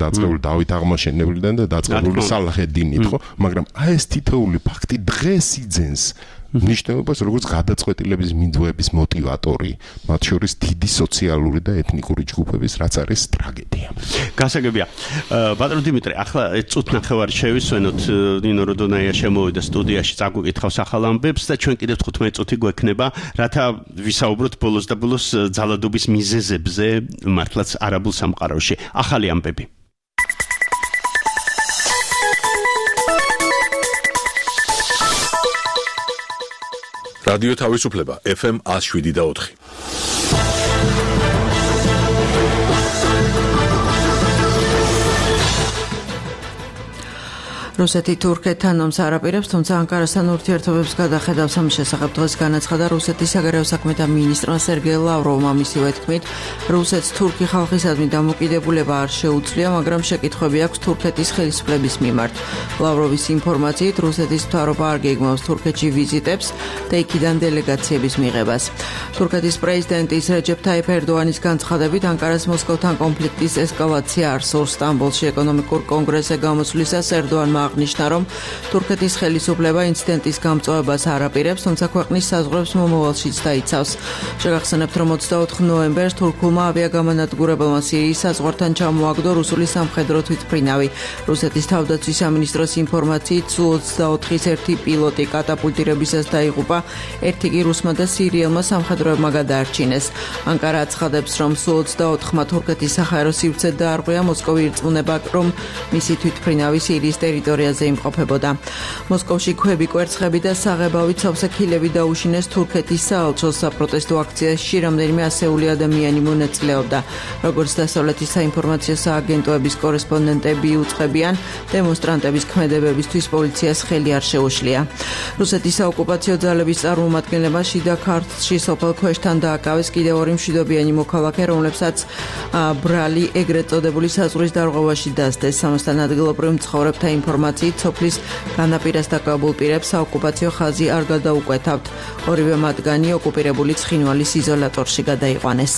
დაწყებული დავით აღმაშენებლიდან და დაწყებული სალაჰ-ედ-დინით, ხო? მაგრამ აი ეს თითოეული ფაქტი დღეს იძენს ნიშნულობას როგორც გადაწყვეტილების მიმდევრების მოტივატორი, მათ შორის დიდი სოციალური და ეთნიკური ჯგუფების, რაც არის ტრაგედია. გასაგებია. ბატონო დიმიტრი, ახლა წუთ ნახევარი შევისვენოთ, ნინო როდონაია შემოვიდა სტუდიაში, წაგვიკითხავს ახალ ამბებს და ჩვენ კიდევ 15 წუთი გვექნება, რათა ვისაუბროთ ბოლოს და ბოლოს ძალადობის მიზეზებზე, მართლაც არაბულ სამყაროში. ახალი ამბები. რადიო თავისუფლება FM 107.4 რუსეთი თურქეთთან ომს არაპირებს, თუმცა ანკარასთან ურთიერთობებს გადახედავს. ამის შესახებ დღეს განაცხადა რუსეთის საგარეო საქმეთა მინისტრმა სერგეი ლავროვმა. მისივე თქმით, რუსეთს თურქი ხალხისადმი დამოკიდებულება არ შეუძლია, მაგრამ შეკითხვები აქვს თურქეთის ხელისუფლების მიმართ. ლავროვის ინფორმაციით, რუსეთის მთავრობა არ გეგმავს თურქეთში ვიზიტებს და იქიდან დელეგაციების მიღებას. თურქეთის პრეზიდენტის რეჯეფ ტაიფ ერდოანის განცხადებით, ანკარას მოსკოვთან კონფლიქტის ესკალაცია არ სურს. სტამბოლში ეკონომიკურ კონგრესზე გამოსვლისას ერდოანმა აღნიშნა, რომ თურქეთის ხელისუფლება ინციდენტის გამწვავებას არ აპირებს, თუმცა ქვეყნის საზღვრებს მომავალშიც დაიცავს. შეგახსენებთ, რომ 24 ნოემბერს თურქულმა ავიაგამანადგურებელმა სირიის საზღვართან ჩამოაგდო რუსული სამხედრო თვითმფრინავი. რუსეთის თავდაცვის სამინისტროს ინფორმაციით, Su-24-ის ერთი პილოტი კატაპულტირებისას დაიღუპა, ერთი კი რუსმა და სირიელმა სამხედროებმა გადაარჩინეს. ანკარა აცხადებს, რომ Su-24-მა თურქეთის საჰაერო სივრცე დაარღვია, მოსკოვი ირწმუნება, რომ მისი თვითმფრინავი სირიის ტერიტორიაზე იმყოფებოდა. მოსკოვში ქვები, კვერცხები და საღებავით სავსე ქილები დაუშინეს თურქეთის საელჩოს. საპროტესტო აქციაში რამდენიმე ასეული ადამიანი მონაწილეობდა. როგორც დასავლეთის საინფორმაციო სააგენტოების კორესპონდენტები უწყებიან, დემონსტრანტების ქმედებებისთვის პოლიციას ხელი არ შეუშლია. რუსეთის საოკუპაციო ძალების წარმომადგენლებმა შიდა ქართლში სოფელ ქვეშთან დააკავეს კიდევ ორი მშვიდობიანი მოქალაქე, რომლებსაც ბრალი ეგრეთ წოდებული საზღვრის დარღვევაში დასდეს. სამოსთან ადგილობრივ მცხოვრებთა ინფორმაციით, სოფლის განაპირას დაკავებულ პირებს საოკუპაციო ხაზი არ გადაუკვეთავთ. ორივე მათგანი ოკუპირებული ცხინვალის იზოლატორში გადაიყვანეს.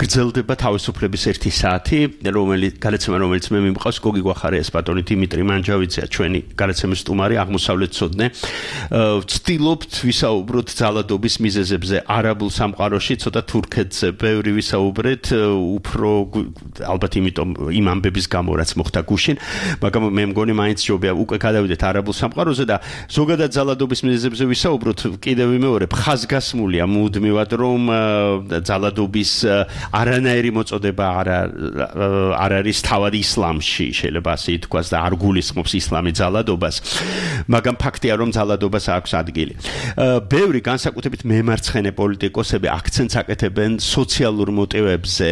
გრძელდება თავისუფლების 1 საათი, რომელიც მე მიმყავს გოგი გვახარიას, ბატონი დიმიტრი მანჯავიძეა, ჩვენი გადაცემის სტუმარი, აღმოსავლეთ ცოდნე. ვცდილობთ ვისაუბროთ ძალადობის მიზეზებზე არაბულ სამყაროში, ცოტა თურქეთზე ბევრი ვისაუბრეთ, უფრო ალბათ იმიტომ იმ ამბების გამო, რაც მოხდა გუშინ, მაგრამ მე მგონი მაინც ჯობია უკვე გადავიდეთ არაბულ სამყაროზე და ზოგადად ძალადობის მიზეზებზე ვისაუბროთ. კიდევ ვიმეორებ, ხაზგასმულია მუდმივად, რომ ძალადობის არანაირი მოწოდება არ არის თავად ისლამში, შეიძლება ასე ითქვას და არ გულისხმობს ისლამი ძალადობას, მაგრამ ფაქტია, რომ ძალადობას აქვს ადგილი. ბევრი განსაკუთრებით მემარცხენე პოლიტიკოსები აქცენტს აკეთებენ სოციალურ მოტივებზე,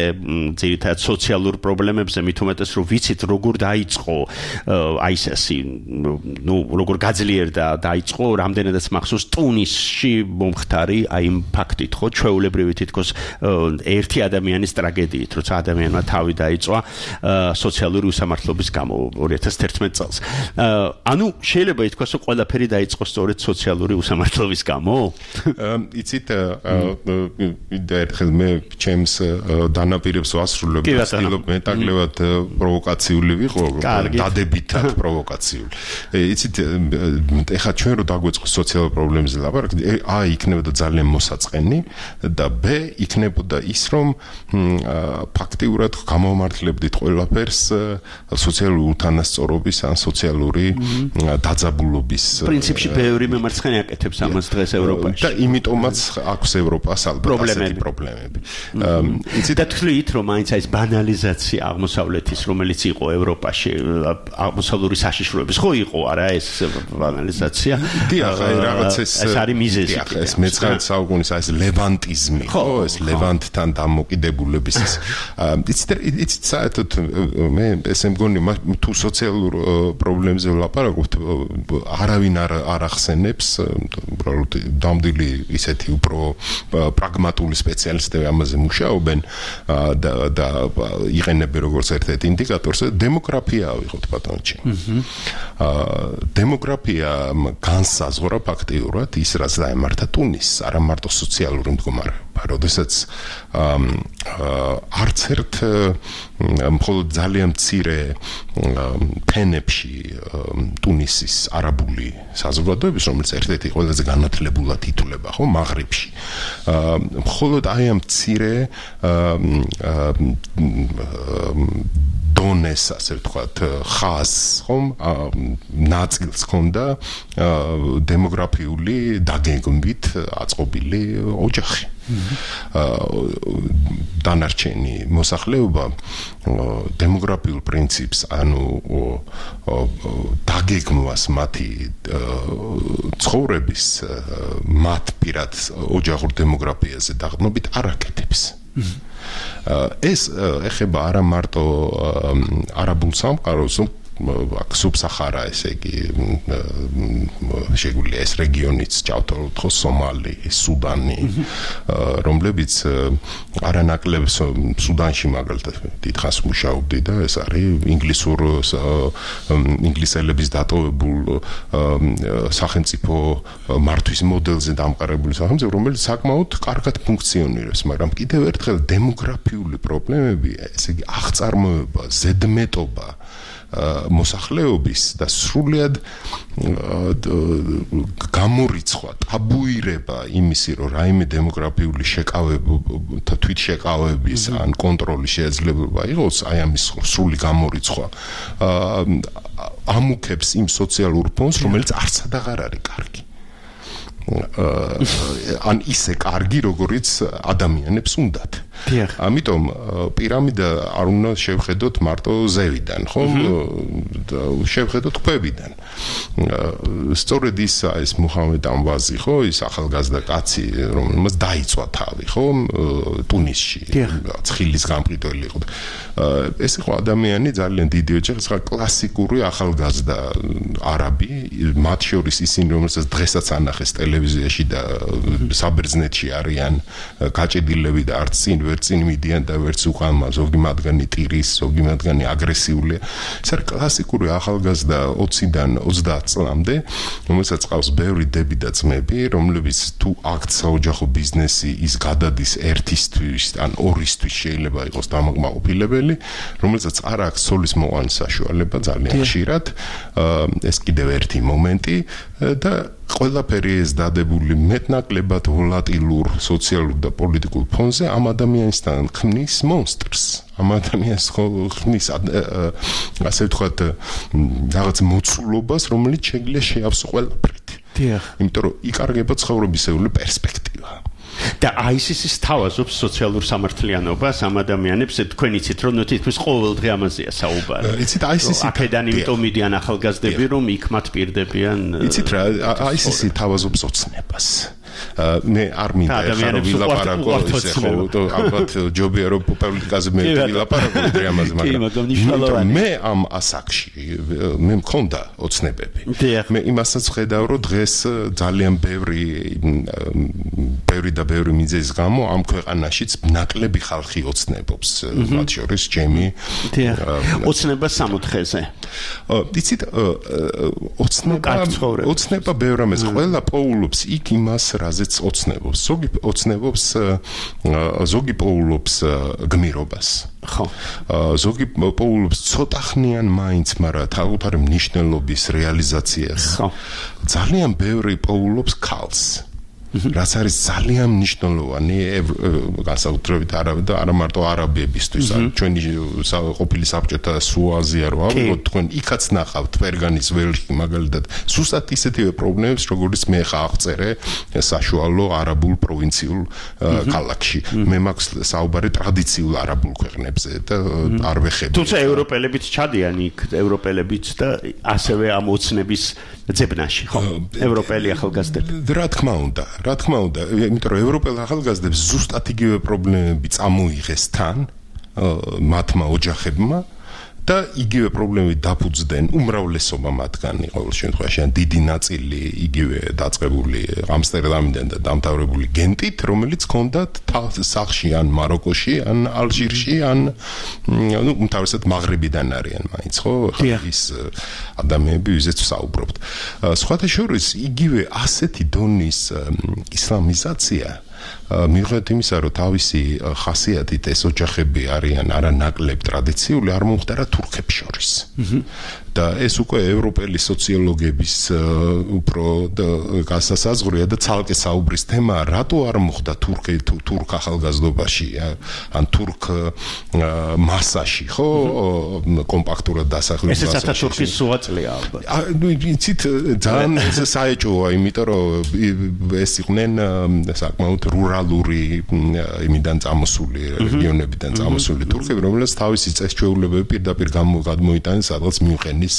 ძირითადად სოციალურ პრობლემებზე, მით უმეტეს რომ ვიცით როგორ დაიწყო აი ესე, როგორ გაძლიერდა დაიწყო, რამდენადაც მახსოვს ტუნისში მომხდარი აი იმ ფაქტით, ხო, ჩვეულებრივი თითქოს ერთი ადამიანის ტრაგედიით, როცა ადამიანმა თავი დაიწვა სოციალური უსამართლობის გამო 2011 წელს. ანუ შეიძლება ითქვას, რომ ყველაფერი დაიწყო სწორედ სოციალური უსამართლობის გამო? იცით, ერთხელ მე ჩემს დანაპირებს ვასრულებ, ვცდილობ მეტაკლებად პროვოკაციული ვიყო, დადებითად პროვოკაციული. იცით, ეხლა ჩვენ რო დაგვეწყოს სოციალურ პრობლემებზე ლაპარაკი, აი იქნებოდა ძალიან მოსაწყენი და ბ იქნებოდა ის, რომ ფაქტიურად გამომართლებდით ყველაფერს სოციალური უთანასწორობის ან სოციალური დაძაბულობის პრინციპში ბევრი მემარცხენე აკეთებს ამას დღეს ევროპაში. და იმიტომაც აქვს ევროპას ალბათ ასეთი პრობლემები. და თვლით, რომ მაინც ეს ბანალიზაცია აღმოსავლეთის, რომელიც იყო ევროპაში, აღმოსავლური საშიშროების, ხო იყო არა ეს ბანალიზაცია? დიახ, რაღაც ეს არის მიზეზი. ეს მე-19 საუკუნის ეს ლევანტიზმი, ხო, ეს ლევანტთან დამოკიდებულების იცით საერთოდ მე ესე მგონი თუ სოციალურ პრობლემებზე ვლაპარაკობთ, არავინ არ ახსენებს, უბრალოდ დამდილი ისეთი უფრო პრაგმატული სპეციალისტები ამაზე მუშაობენ და იყენებენ როგორც ერთ-ერთ ინდიკატორს, დემოგრაფია ვიღოთ ბატონჩი. დემოგრაფია განსაზღვრა ფაქტიურად ის, რაც დაემართა ტუნისს, არა მარტო სოციალური მდგომარეობა. როდესაც არც ერთ მხოლოდ ძალიან მცირე ფენებში ტუნისის არაბული საზოგადოების, რომელიც ერთ-ერთი ყველაზე განათლებულად ითვლება, ხო, მაღრიბში. მხოლოდ აი ამ მცირე დონეს, ასე ვთქვათ, ხაზს, ხომ, ნაწილს ჰქონდა დემოგრაფიული დაგეგმვით აწყობილი ოჯახი. დანარჩენი მოსახლეობა დემოგრაფიულ პრინციპს, ანუ დაგეგმვას მათი ცხოვრების მათ პირად ოჯახურ დემოგრაფიაზე დაღდნობით არ აკეთებს. ეს ეხება არა მარტო არაბულ სამყაროს, სუბსაჰარა, ესე იგი შეგვიძლია ეს რეგიონიც ჩავთვალოთ ხო, სომალი, სუდანი, რომლებიც არანაკლებ სუდანში მაგალითად დიდხანს მუშაობდი და ეს არის ინგლისელების დატოვებულ სახელმწიფო მართვის მოდელზე დამყარებული სახელმწიფო, რომელიც საკმაოდ კარგად ფუნქციონირებს, მაგრამ კიდევ ერთხელ დემოგრაფიული პრობლემები, ესე იგი აღწარმოება, ზედმეტობა მოსახლეობის და სრულიად გამორიცხვა, ტაბუირება იმისი, რომ რაიმე დემოგრაფიული შეკავება, თვითშეკავების ან კონტროლის შესაძლებლობა იყოს, აი ამის სრული გამორიცხვა ამუქებს იმ სოციალურ ფონს, რომელიც არცად აღარ არის კარგი. ან ისე კარგი, როგორიც ადამიანებს უნდათ. ამიტომ პირამიდა არ უნდა შევხედოთ მარტო ზევიდან, ხო? შევხედოთ ქვევიდან. სწორედ ისა ეს მუჰამედ ამვაზი, ხო, ის ახალგაზრდა კაცი, რომელმაც დაიწვა თავი, ხო, ტუნისში, ცხილის გამყიდველი იყო. ეს იყო ადამიანი ძალიან დიდი ოჯახის, კლასიკური ახალგაზრდა არაბი, მათ შორის ისინი, რომელსაც დღესაც ანახეს ტელევიზიაში და საბერძნეთში არიან გაჭედილები და არც წინ ვერც წინ მიდიან და ვერც უყალმა, ზოგი მათგანი ტირის, ზოგი მათგანი აგრესიულია. ეს არის კლასიკური ახალგაზრდა 20-დან 30 წლამდე, რომელსაც ყავს ბევრი დები და ძმები, რომლებიც თუ აქ საოჯახო ბიზნესი ის გადადის ერთისთვის ან ორისთვის შეიძლება იყოს დამაკმაყოფილებელი, რომელსაც არ აქვს ცოლის მოყვანის საშუალება ძალიან ხშირად. ეს კიდევ ერთი მომენტი და ყველაფერი ეს დადებული მეტნაკლებად ვოლატილურ სოციალურ და პოლიტიკურ ფონზე ამ ადამიანისთან ქმნის მონსტრს. ამ ადამიანს ქმნის ასე ვთქვათ რაღაც მოცულობას, რომელიც შეგვიძლია შეავსო ყველაფრით. იმიტომ რომ იკარგება ცხოვრებისეული პერსპექტივა. და ISIS-ის თავაზობს სოციალურ სამართლიანობას ამ ადამიანებს, თქვენ იცით რომ თითქმის ყოველდღე ამაზეა საუბარი. იცით ISIS-ი აქედან იმიტომ მიდიან ახალგაზრდები, რომ იქ მათ პირდებიან. იცით რა, ISIS-ი თავაზობს ოცნებას. მე არ მინდა ეხარო ვილაპარაკო ისე ხო, ალბათ ჯობია რომ პოლიტიკაზე მე ვილაპარაკო ამაზე, მაგრამ მე ამ ასაკში მე მქონდა ოცნებები. მე იმასაც ხედავ რომ დღეს ძალიან ბევრი მიზეზის გამო ამ ქვეყანაშიც ნაკლები ხალხი ოცნებობს, მათ შორის ჩემი ოცნება სამოთხეზე. იცით ოცნება ბევრ ამას ყველა პოულობს იქ იმას რაზეც ოცნებობს. ზოგი პოულობს გმირობას. ხო. ზოგი პოულობს ცოტახნიან მაინც, მაგრამ თავუთარი მნიშვნელობის რეალიზაციას. ხო. ძალიან ბევრი პოულობს ქალს. რაც არის ძალიან მნიშვნელოვანი განსაკუთრებით არა მარტო არაბებისთვის, ჩვენი ყოფილი საბჭოთა სუაზია რო ავიღოთ, თქვენ იქაც ნახავთ ფერგანის ველში მაგალითად სუსტად ისეთივე პრობლემებს, როგორც მე ხა აღწერე საშუალო არაბულ პროვინციულ ქალაქში. მე მაქვს საუბარი ტრადიციულ არაბულ ქვეყნებზე და არ ვეხები. თუმცა ევროპელებიც ჩადიან იქ, ევროპელებიც და ასევე ამ ოცნების ძებნაში, ხო? ევროპელი ახალგაზრდები. რა თქმა უნდა, იმიტომ რომ ევროპელ ახალგაზრდებს ზუსტად იგივე პრობლემები წამოიღეს თან მათმა ოჯახებმა და იგივე პრობლემები დაფუძნდნენ უმრავლესობა მათგანი, ყოველ შემთხვევაში ან დიდი ნაწილი იგივე დაწყებული ამსტერდამიდან და დამთავრებული გენტით, რომელიც ჰქონდათ სახლში ან მაროკოში, ან ალჟირში, ან უმთავრესად მაღრიბიდან არიან მაინც, ხო? ის ადამიანები, ვიზეც ვსაუბრობთ. სხვათა შორის იგივე ასეთი დონის ისლამიზაცია მიუხედავად იმისა, რომ თავისი ხასიათით ეს ოჯახები არიან არანაკლებ ტრადიციული, არ მომხდარა თურქებს შორის. და ეს უკვე ევროპელი სოციოლოგების უფრო გასასაზღვრია და ცალკე საუბრის თემა რატო არ მოხდა თურქ ახალგაზრდობაში ან თურქ მასაში ხო კომპაქტურად დასახლებულ მასაში ესეც ათათურქის სუაწლია ალბათ იცით ძალიან საეჭვოა იმიტომ რომ ეს იყვნენ საკმაოდ რურალური იმიდან წამოსული რეგიონებიდან წამოსული თურქები რომელსაც თავისი წესჩვეულებები პირდაპირ გადმოიტანეს სადღაც მიუყენის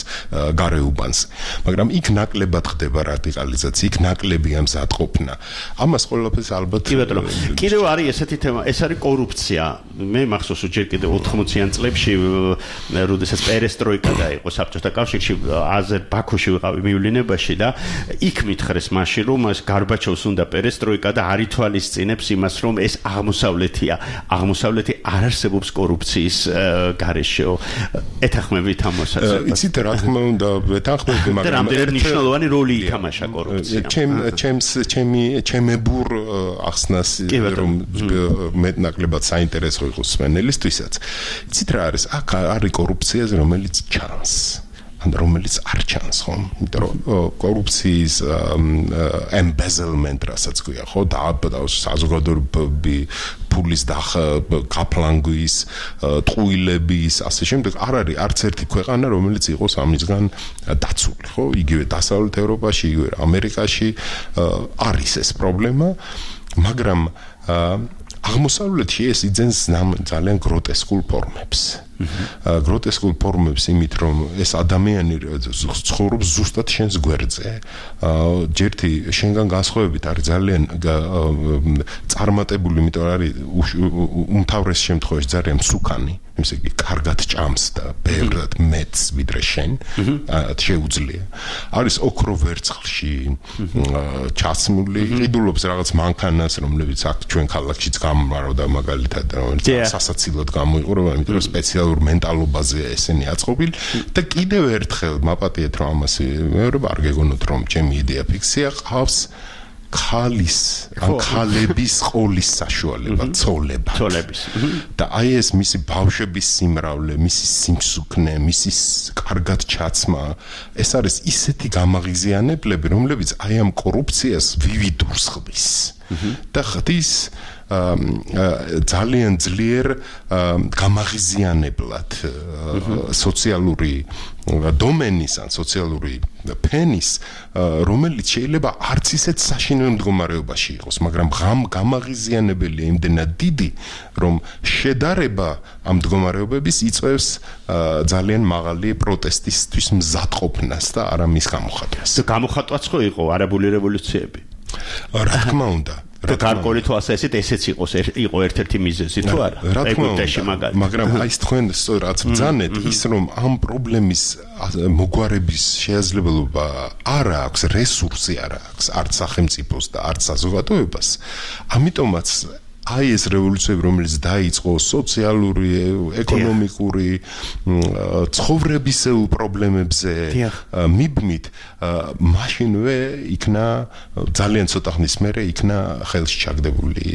გარეუბანს მაგრამ იქ ნაკლებად ხდება რადიკალიზაცია იქ ნაკლებია მზადყოფნა ამას ყველაფერს ალბათ კიდევ არის ესეთი თემა ეს არის კორუფცია მე მახსოვს ჯერ კიდევ 80-იან წლებში როდესაც პერესტროიკა დაიყო საბჭოთა კავშირში ბაქოში ვიყავი მივლინებაში და იქ მითხრეს მაშინ რომ ეს გარბაჩოვს უნდა პერესტროიკა და არ ითვალისწინებს იმას რომ ეს აღმოსავლეთი არ არსებობს კორუფციის გარეშეო ეთანხმებით ამ მოსაზრებას იცით რა თქმა უნდა ეთანხმები მაგრამ რამდენად მნიშვნელოვანი როლი ითამაშა კორუფცია ჩემებურ ახსნას რომ მეტნაკლებად საინტერესო იყოს სვენელისთვისაც იცით რა არის აქ არის კორუფციაზე რომელიც ჩანს ან რომელიც არ ჩანს ხო იმიტომ რომ კორუფციის embezzlement რასაც ქვია ხო და საზოგადოებრივი ფულის გაფლანგვის ტყუილების ასე შემდეგ არ არის არც ერთი ქვეყანა რომელიც იყოს ამისგან დაცული ხო იგივე დასავლეთ ევროპაში იგივე ამერიკაში არის ეს პრობლემა მაგრამ აღმოსავლეთში ეს იძენს ძალიან გროტესკულ ფორმებს გროტესკულ ფორმებს იმით რომ ეს ადამიანი ცხოვრობს ზუსტად შენს გვერდზე ჯერთი შენგან განსხვავებით არის ძალიან წარმატებული იმიტომ არის უმთავრეს შემთხვევაში ძალიან მსუქანი ესე იგი კარგად ჭამს და ბევრად მეტს ვიდრე შენ შეუძლია არის ოქრო ვერცხლში ჩასმული ყიდულობს რაღაც მანქანას რომლებიც აქ ჩვენ ქალაქშიც გამმარავდა მაგალითად რომელიც სასაცილოდ გამოიყურება იმიტომ რომ სპეციალურ მენტალობაზე ესენი აწყობილი და კიდევ ერთხელ მაპატიეთ რომ ამას მეორე არ გეგონოთ რომ ჩემი იდეა ფიქსია ყავს ქალის ან ქალების ყოლის საშუალება ცოლების და აი ეს მისი ბავშვების სიმრავლე მისი სიმსუქნე მისი კარგად ჩაცმა ეს არის ისეთი გამაღიზიანებლები რომლებიც აი ამ კორუფციას ვივიდურს ხდის და ხდის ძალიან ძლიერ გამაღიზიანებლად სოციალური დომენის ან სოციალური ფენის რომელიც შეიძლება არც ისეთ საშინელ მდგომარეობაში იყოს მაგრამ გამაღიზიანებელია იმდენად დიდი რომ შედარება ამ მდგომარეობების იწვევს ძალიან მაღალი პროტესტისთვის მზადყოფნას და არა მის გამოხატვას გამოხატვაც ხო იყო არაბული რევოლუციები რა თქმა უნდა და გარკვეული თვალსაზრისით ესეც იყო ერთ-ერთი მიზეზი თუ არა ეგვიპტეში მაგრამ აი თქვენ რაც ბრძანეთ ის რომ ამ პრობლემის მოგვარების შესაძლებლობა არ აქვს რესურსი არ აქვს არც სახელმწიფოს და არც საზოგადოებას ამიტომაც აი ეს რევოლუციები რომელიც დაიწყო სოციალური ეკონომიკური ცხოვრებისეულ პრობლემებზე მიბმით მაშინვე იქნა ძალიან ცოტა ხნის მერე იქნა ხელში ჩაგდებული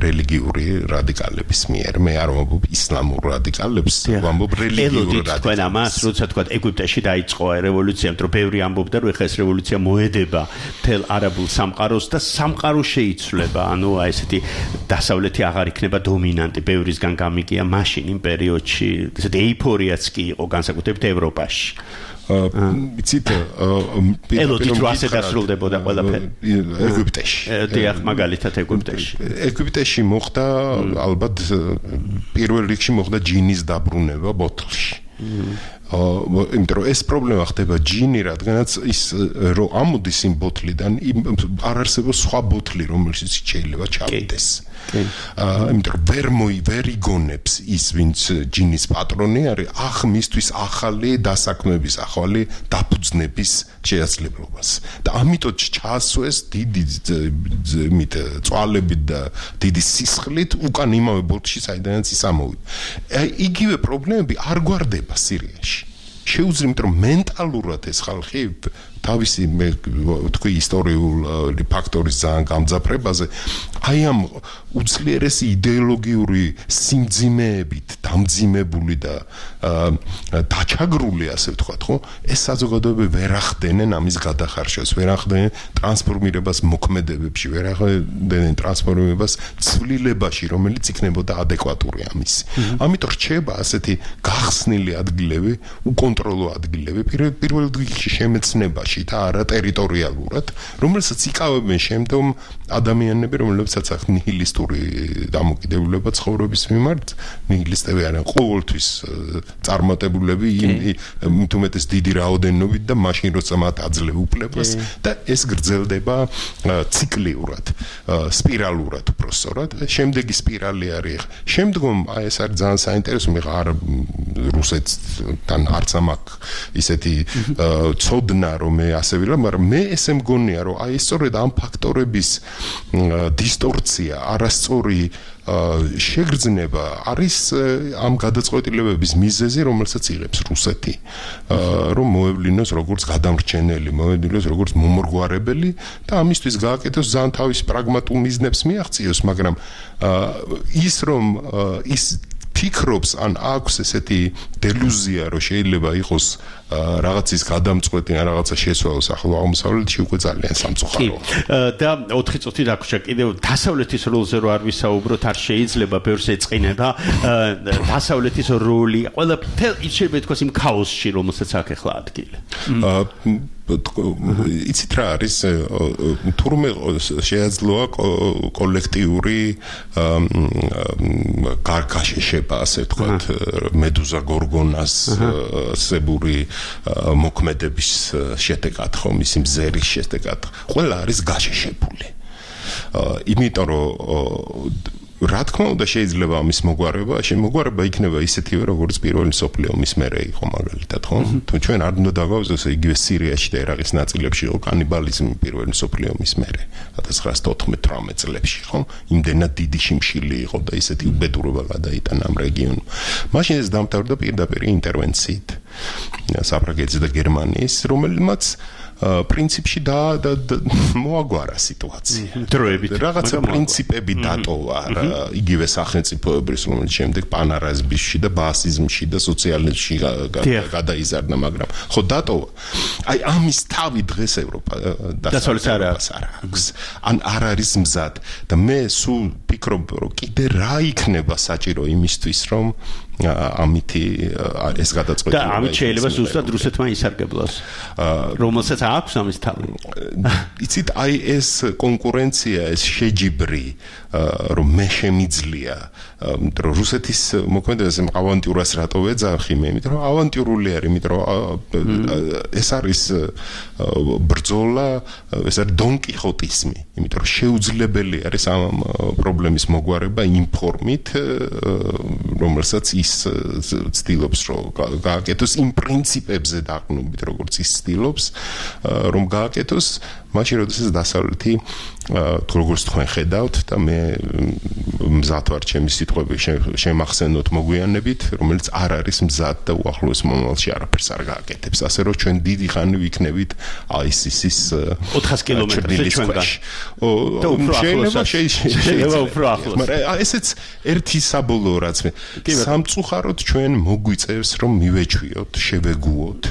რელიგიური რადიკალების მიერ მე არ ვამბობ ისლამურ რადიკალებს ვამბობ რელიგიურ რადიკალებს თქვენ ამას როცა თქვა ეგვიპტეში დაიწყო რევოლუცია რომ ბევრი ამბობდა რომ ეხლა ეს რევოლუცია მოედება მთელ არაბულ სამყაროს და სამყარო შეიცვლება ანუ აი ესეთი დასავლეთი აღარ იქნება დომინანტი ბევრისგან გამიგია მაშინ იმ პერიოდში ესეთი ეიფორიაც კი იყო განსაკუთრებით ევროპაში იცით ელოდით რა ასე დასრულდებოდა ყველაფერი ეგვიპტეში დიახ მაგალითად ეგვიპტეში მოხდა ალბათ პირველ რიგში მოხდა ჯინის დაბრუნება ბოთლში იმიტომ რომ ეს პრობლემა ხდება ჯინი რადგანაც ის რომ ამოდის იმ ბოთლიდან არ არსებობს სხვა ბოთლი რომელშიც შეიძლება ჩავიდეს იმიტომ რომ ვერ იგონებს ის ვინც ჯინის პატრონი არის მისთვის ახალი დასაქმების ახალი დაფუძნების შესაძლებლობას და ამიტომ ჩაასვეს დიდი წვალებით და დიდი სისხლით უკან იმავე ბოთლში საიდანაც ის ამოვიდა იგივე პრობლემები არ გვარდება სირიაში შეუძლია იმიტომ რომ მენტალურად ეს ხალხი თავისი მე თქვი ისტორიული ფაქტორის ძალიან გამძაფრებაზე აი ამ უძლიერესი იდეოლოგიური სიმძიმეებით დამძიმებული და დაჩაგრული ასე ვთქვათ ხო ეს საზოგადოებები ვერ ახდენენ ამის გადახარშას ვერ ახდენენ ტრანსფორმირებას მოქმედებებში ვერ ახდენენ ტრანსფორმირებას ცვლილებაში რომელიც იქნებოდა ადეკვატური ამის ამიტომ რჩება ასეთი გახსნილი ადგილები უკონტროლო ადგილები პირველ რიგში შემეცნებაში და არა ტერიტორიალურად რომელსაც იკავებენ შემდგომ ადამიანები რომლებსაც აქვს ნიჰილისტური დამოკიდებულება ცხოვრების მიმართ ნიჰილისტები არიან ყოველთვის წარმატებულები იმიტომეტეს დიდი რაოდენობით და მაშინ როცა მათ აძლევ უფლებას და ეს გრძელდება ციკლიურად სპირალურად უბრალოდ შემდეგი სპირალი არის შემდგომ აი ეს არის ძალიან საინტერესო მე არ რუსეთთან არც ამაქვს ისეთი ცოდნა რომ მე ასე ვილა მაგრამ მე ესე მგონია რომ აი სწორედ ამ ფაქტორების დისტორცია არასწორი შეგრძნება არის ამ გადაწყვეტილებების მიზეზი რომელსაც იღებს რუსეთი რომ მოევლინოს როგორც გადამრჩენელი მოევლინოს როგორც მომრგვარებელი და ამისთვის გააკეთოს ძალიან თავის პრაგმატულ მიზნებს მიაღწიოს მაგრამ ის რომ ის ფიქრობს ან აქვს ესეთი დელუზია რომ შეიძლება იყოს რაღაცის გადამწყვეტი ან რაღაცა შესვაოს ახლო აღმოსავლეთში უკვე ძალიან სამწუხაროა. და 4 წუთი დაგვრჩა კიდევ დასავლეთის როლზე რო არ ვისაუბროთ არ შეიძლება ბევრს ეწყინება დასავლეთის როლი ყველა შეიძლება ითქვას იმ ქაოსში რომელსაც აქ ახლა ადგილი. იცით რა არის თურმე შეაძლოა კოლექტიური გარგაშეშება ასე ვთქვათ მედუზა გორგონას სებური მოქმედების შედეგად ხომ ისი მზერის შედეგად ყველა არის გაშეშებული იმიტომ რომ რა თქმა უნდა შეიძლება ამის მოგვარება იქნება ისეთივე როგორც პირველი მსოფლიო ომის მერე იყო მაგალითად ხო თუ ჩვენ არ უნდა დავავზოს იგივე სირიაში და ერაყის ნაწილებში იყო კანიბალიზმი პირველი მსოფლიო ომის მერე 1914-18 წლებში ხო იმდენად დიდი შიმშილი იყო და ისეთი უბედურება გადაიტანა ამ რეგიონს მაშინ ეს დამთავრდა პირდაპირ ინტერვენციით საფრანგეთის და გერმანიის რომელმაც პრინციპში და მოაგვარა სიტუაცია. დროებით რაღაცა პრინციპები დატოვა იგივე სახელმწიფოების რომელიც შემდეგ პანარაზმში და ბასიზმში და სოციალიზმში გადაიზარდა მაგრამ ხო დატოვა. აი ამის თავი დღეს ევროპა დასავლეთს არ აქვს. ან არ არის მზად და მე სულ ფიქრობ რომ კიდე რა იქნება საჭირო იმისთვის რომ ამითი ეს გადაწყვეტილება და ამით შეიძლება ზუსტად რუსეთმა ისარგებლოს რომელსაც აქვს ამის თავი იცით აი ეს კონკურენცია ეს შეჯიბრი რომ მე შემიძლია იმიტომ რომ რუსეთის მოქმედებაზე ავანტიურას რატო ვეძახი მე იმიტომ რომ ავანტიურული არის იმიტომ რომ ეს არის ბრძოლა ეს არის დონკიხოტიზმი იმიტომ რომ შეუძლებელი არის ამ პრობლემის მოგვარება იმ ფორმით რომელსაც ის ცდილობს რომ გააკეთოს იმ პრინციპებზე დაყრდნობით როგორც ის ცდილობს რომ გააკეთოს მაშინ როდესაც დასავლეთი როგორც თქვენ ხედავთ და მე მზად ვარ ჩემი სიტყვები შემახსენოთ მოგვიანებით რომელიც არ არის მზად და უახლოეს მომავალში არაფერს არ გააკეთებს ასე რომ ჩვენ დიდი ხანი ვიქნებით ISIS-ის 400 კილომეტრზე ჩვენგან შეიძლება უფრო ახლოს მაგრამ ესეც ერთი საბოლოო რაც მე სამწუხაროდ ჩვენ მოგვიწევს რომ მივეჩვიოთ შევეგუოთ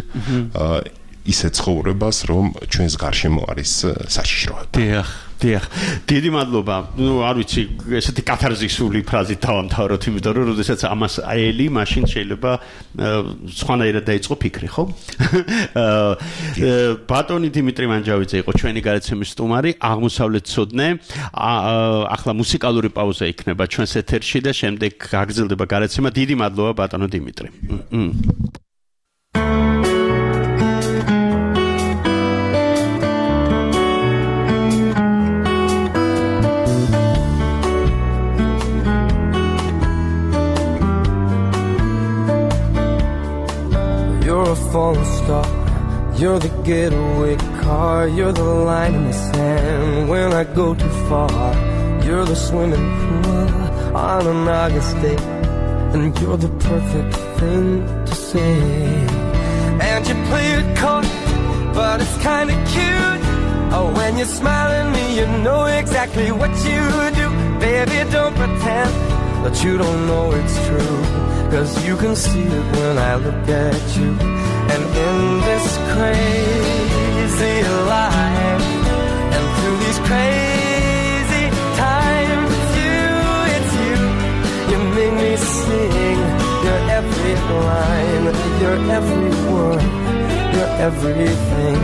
ისე ცხოვრებას რომ ჩვენს გარშემო არის საშიშროება. დიახ. დიდი მადლობა. ნუ არ ვიცი, ესეთი კათარზისული ფრაზით დავამთავროთ, იმიტომ რომ როდესაც ამას აელი, მაშინ შეიძლება სხვანაირად დაიწყო ფიქრი, ხო? ბატონი დიმიტრი მანჯავიძე იყო ჩვენი გადაცემის სტუმარი, აღმოსავლეთ ცოდნე. ახლა მუსიკალური პაუზა იქნება ჩვენს ეთერში და შემდეგ გაგრძელდება გადაცემა. დიდი მადლობა ბატონო დიმიტრი. You're a falling star, you're the getaway car, you're the line in the sand when I go too far. You're the swimming pool on an August day, and you're the perfect thing to say. And you play it cold but it's kinda cute. Oh, when you smile at me, you know exactly what you do. Baby, don't pretend that you don't know it's true, 'cause you can see it when I look at you. And in this crazy life, and through these crazy times, it's you, you make me sing your every line, your every word, your everything.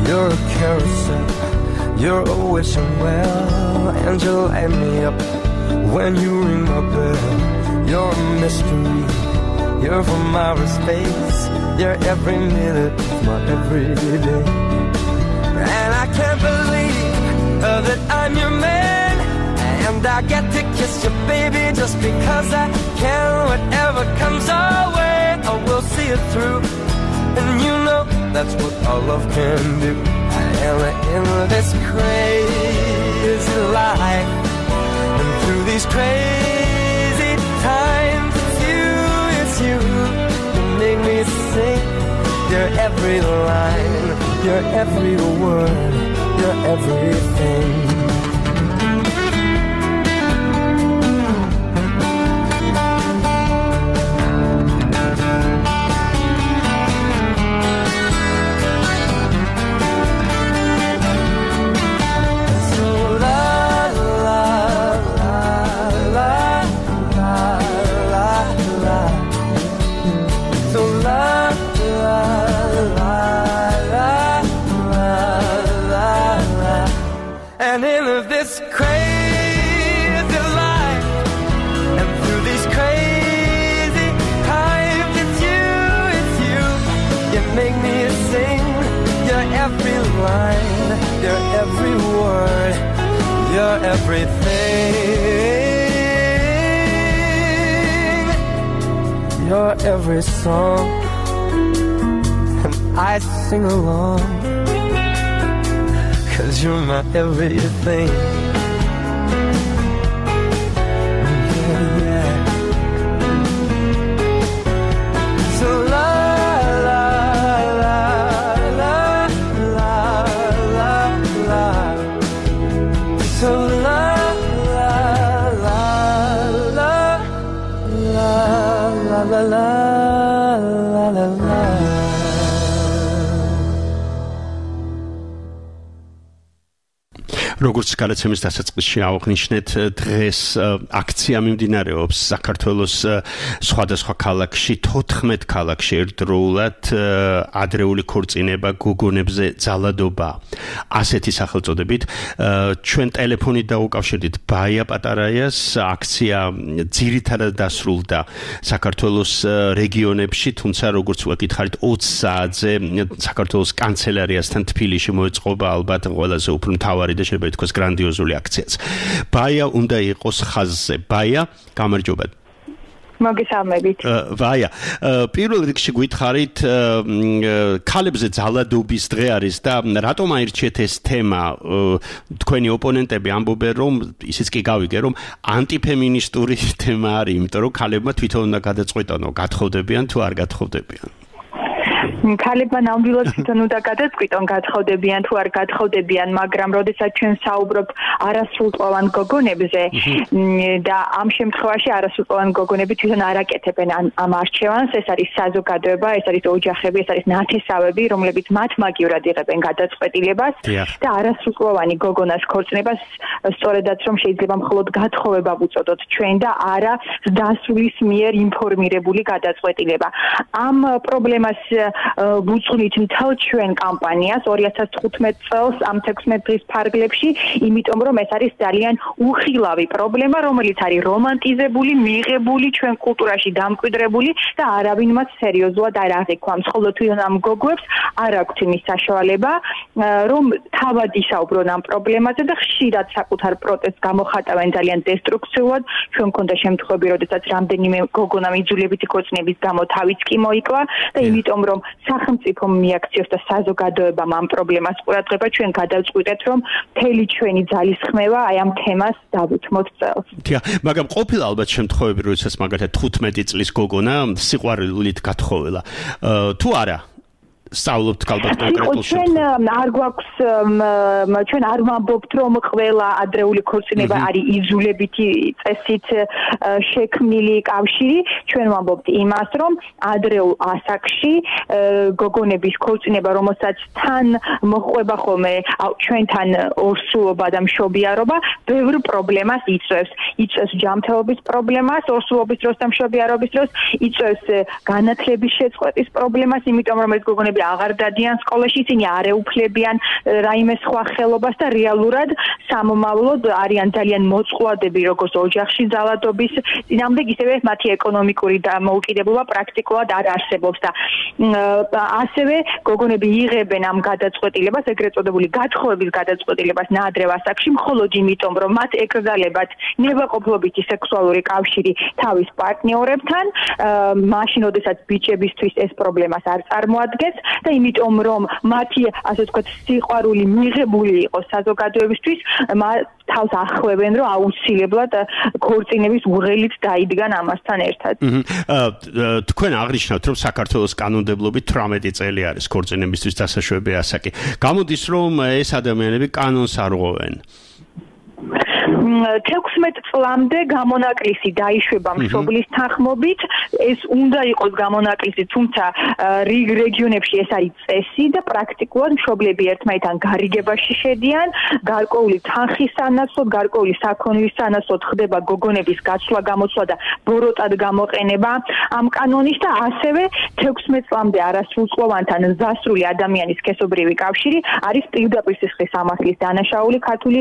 You're a carousel, you're a wishing well, and you light me up when you ring my bell. You're a mystery, you're from outer space, you're every minute of my everyday. And I can't believe that I'm your man, and I get to kiss you, baby, just because I can. Whatever comes our way, I will see it through. And you know that's what our love can do. And in this crazy life, and through these crazy times, it's you, you make me sing your every line, your every word, your everything. And in this crazy life, and through these crazy times, it's you, you make me sing your every line, your every word, your everything, your every song, and I sing along. 'Cause you're my everything. Yeah, yeah. So la la la la la la la. So la la la la la la la la la la. როგორც გადაცემის დასაწყისში აღნიშნეთ, დღეს აქცია მიმდინარეობს საქართველოს სხვადასხვა ქალაქში, 14 ქალაქში ერთდროულად ადრეული ქორწინება, გოგონებზე ძალადობა. ასეთი სახელწოდებით ჩვენ ტელეფონით დაუკავშირდით ბაია პატარაიას. აქცია ძირითადად დასრულდა საქართველოს რეგიონებში, თუმცა როგორც ვაკითხარით 20 საათზე საქართველოს კანცელარიასთან თბილისში მოეწყობა ალბათ ყველაზე უფრო მთავარი და შეიძლება ითქვას გრანდიოზული აქციაც. ბაია უნდა იყოს ხაზზე. ბაია, გამარჯობა. მოგესალმებით. ვაია, პირველ რიგში გითხარით, ქალებზე ძალადობის დღე არის და რატომ აირჩიეთ ეს თემა? თქვენი ოპონენტები ამბობენ, რომ ისიც კი გავიგე, რომ ანტიფემინისტური თემა არის, იმიტომ რომ ქალებმა თვითონ უნდა გადაწყვიტონ, გათხოვდებიან თუ არ გათხოვდებიან. ქალებმა ნამდვილად თვითონ უნდა გადაწყვიტონ, გათხოვდებიან თუ არ გათხოვდებიან, მაგრამ როდესაც ჩვენ საუბრობთ არასრულწლოვან გოგონებზე და ამ შემთხვევაში არასრულწლოვან გოგონები თვითონ არ აკეთებენ ამ არჩევანს, ეს არის საზოგადოება, ეს არის ოჯახები, ეს არის ნათესავები, რომლებიც მათ მაგივრად იღებენ გადაწყვეტილებას და არასრულწლოვანი გოგონას ქორწინებას სწორედაც რომ შეიძლება მხოლოდ გათხოვება ვუწოდოთ ჩვენ და არა დასრულის მიერ ინფორმირებული გადაწყვეტილება. ამ პრობლემას ვუძღვნით მთელ ჩვენ კამპანიას 2015 წელს ამ 16 დღის ფარგლებში, იმიტომ რომ ეს არის ძალიან უხილავი პრობლემა, რომელიც არის რომანტიზებული, მიღებული ჩვენ კულტურაში დამკვიდრებული და არავინ მას სერიოზულად არ აღიქვამს. ხოლო თვითონ ამ გოგოებს არ აქვთ იმის საშუალება, რომ თავად ისაუბრონ ამ პრობლემაზე და ხშირად საკუთარ პროტესტს გამოხატავენ ძალიან დესტრუქციულად. ჩვენ მქონდა შემთხვევები, როდესაც რამდენიმე გოგონა იძულებითი ქორწინების გამო თავიც კი მოიკლა და იმიტომ რომ სახელმწიფომ მიაქციოს და საზოგადოებამ ამ პრობლემას ყურადღება, ჩვენ გადავწყვიტეთ, რომ მთელი ჩვენი ძალისხმევა აი ამ თემას დავუთმოთ წელს. დიახ, მაგრამ ყოფილა ალბათ შემთხვევები, როდესაც მაგალითად 15 წლის გოგონა სიყვარულით გათხოვილა. თუ არა სწავლობთ ალბათ კონკრეტულ ჩვენ არ გვაქვს ჩვენ არ ვამბობთ რომ ყველა ადრეული ქორწინება არის იზოლებითი წესით შექმნილი კავშირი ჩვენ ვამბობთ იმას რომ ადრეულ ასაკში გოგონების ქორწინება რომელსაც თან მოხვება ხოლმე ჩვენთან ორსულობა და მშობიარობა ბევრ პრობლემას იწვევს ჯანმრთელობის პრობლემას ორსულობის დროს და მშობიარობის დროს იწვევს განათლების შეწყვეტის პრობლემას იმიტომ რომ ეს გოგონები აღარ დადიან სკოლაში, ისინი არ ეუფლებიან რაიმე სხვა ხელობას და რეალურად სამომავლოდ არიან ძალიან მოწყვლადები როგორც ოჯახში ძალადობის წინააღმდეგ, ისევე მათი ეკონომიკური დამოუკიდებლობა პრაქტიკულად არ არსებობს და ასევე გოგონები იღებენ ამ გადაწყვეტილებას, ეგრეთ წოდებული გათხოვების გადაწყვეტილებას ნაადრევ ასაკში, მხოლოდ იმიტომ, რომ მათ ეკრძალებათ ნებაყოფლობითი სექსუალური კავშირი თავის პარტნიორებთან, მაშინ, როდესაც ბიჭებისთვის ეს პრობლემას არ წარმოადგენს და იმიტომ რომ მათი ასე ვთქვათ სიყვარული მიღებული იყოს საზოგადოებისთვის თავს ახვევენ რომ აუცილებლად ქორწინების უღელით დაიდგან ამასთან ერთად. თქვენ აღნიშნავთ რომ საქართველოს კანონმდებლობით 18 წელი არის ქორწინებისთვის დასაშვები ასაკი. გამოდის რომ ეს ადამიანები კანონს არ ღვევენ. 16 წლამდე გამონაკლისი დაიშვება მშობლის თანხმობით, ეს უნდა იყოს გამონაკლისი, თუმცა რეგიონებში ეს არის წესი და პრაქტიკულად მშობლები ერთმანეთთან გარიგებაში შედიან, გარკვეული თანხის სანაცვლოდ, გარკვეული საქონლის სანაცვლოდ ხდება გოგონების გაცვლა-გამოცვლა და ბოროტად გამოყენება ამ კანონის და ასევე 16 წლამდე არასრულწლოვანთან ზასრული ადამიანის სქესობრივი კავშირი არის პირდაპირ სისხლის სამართლის დანაშაული ქართული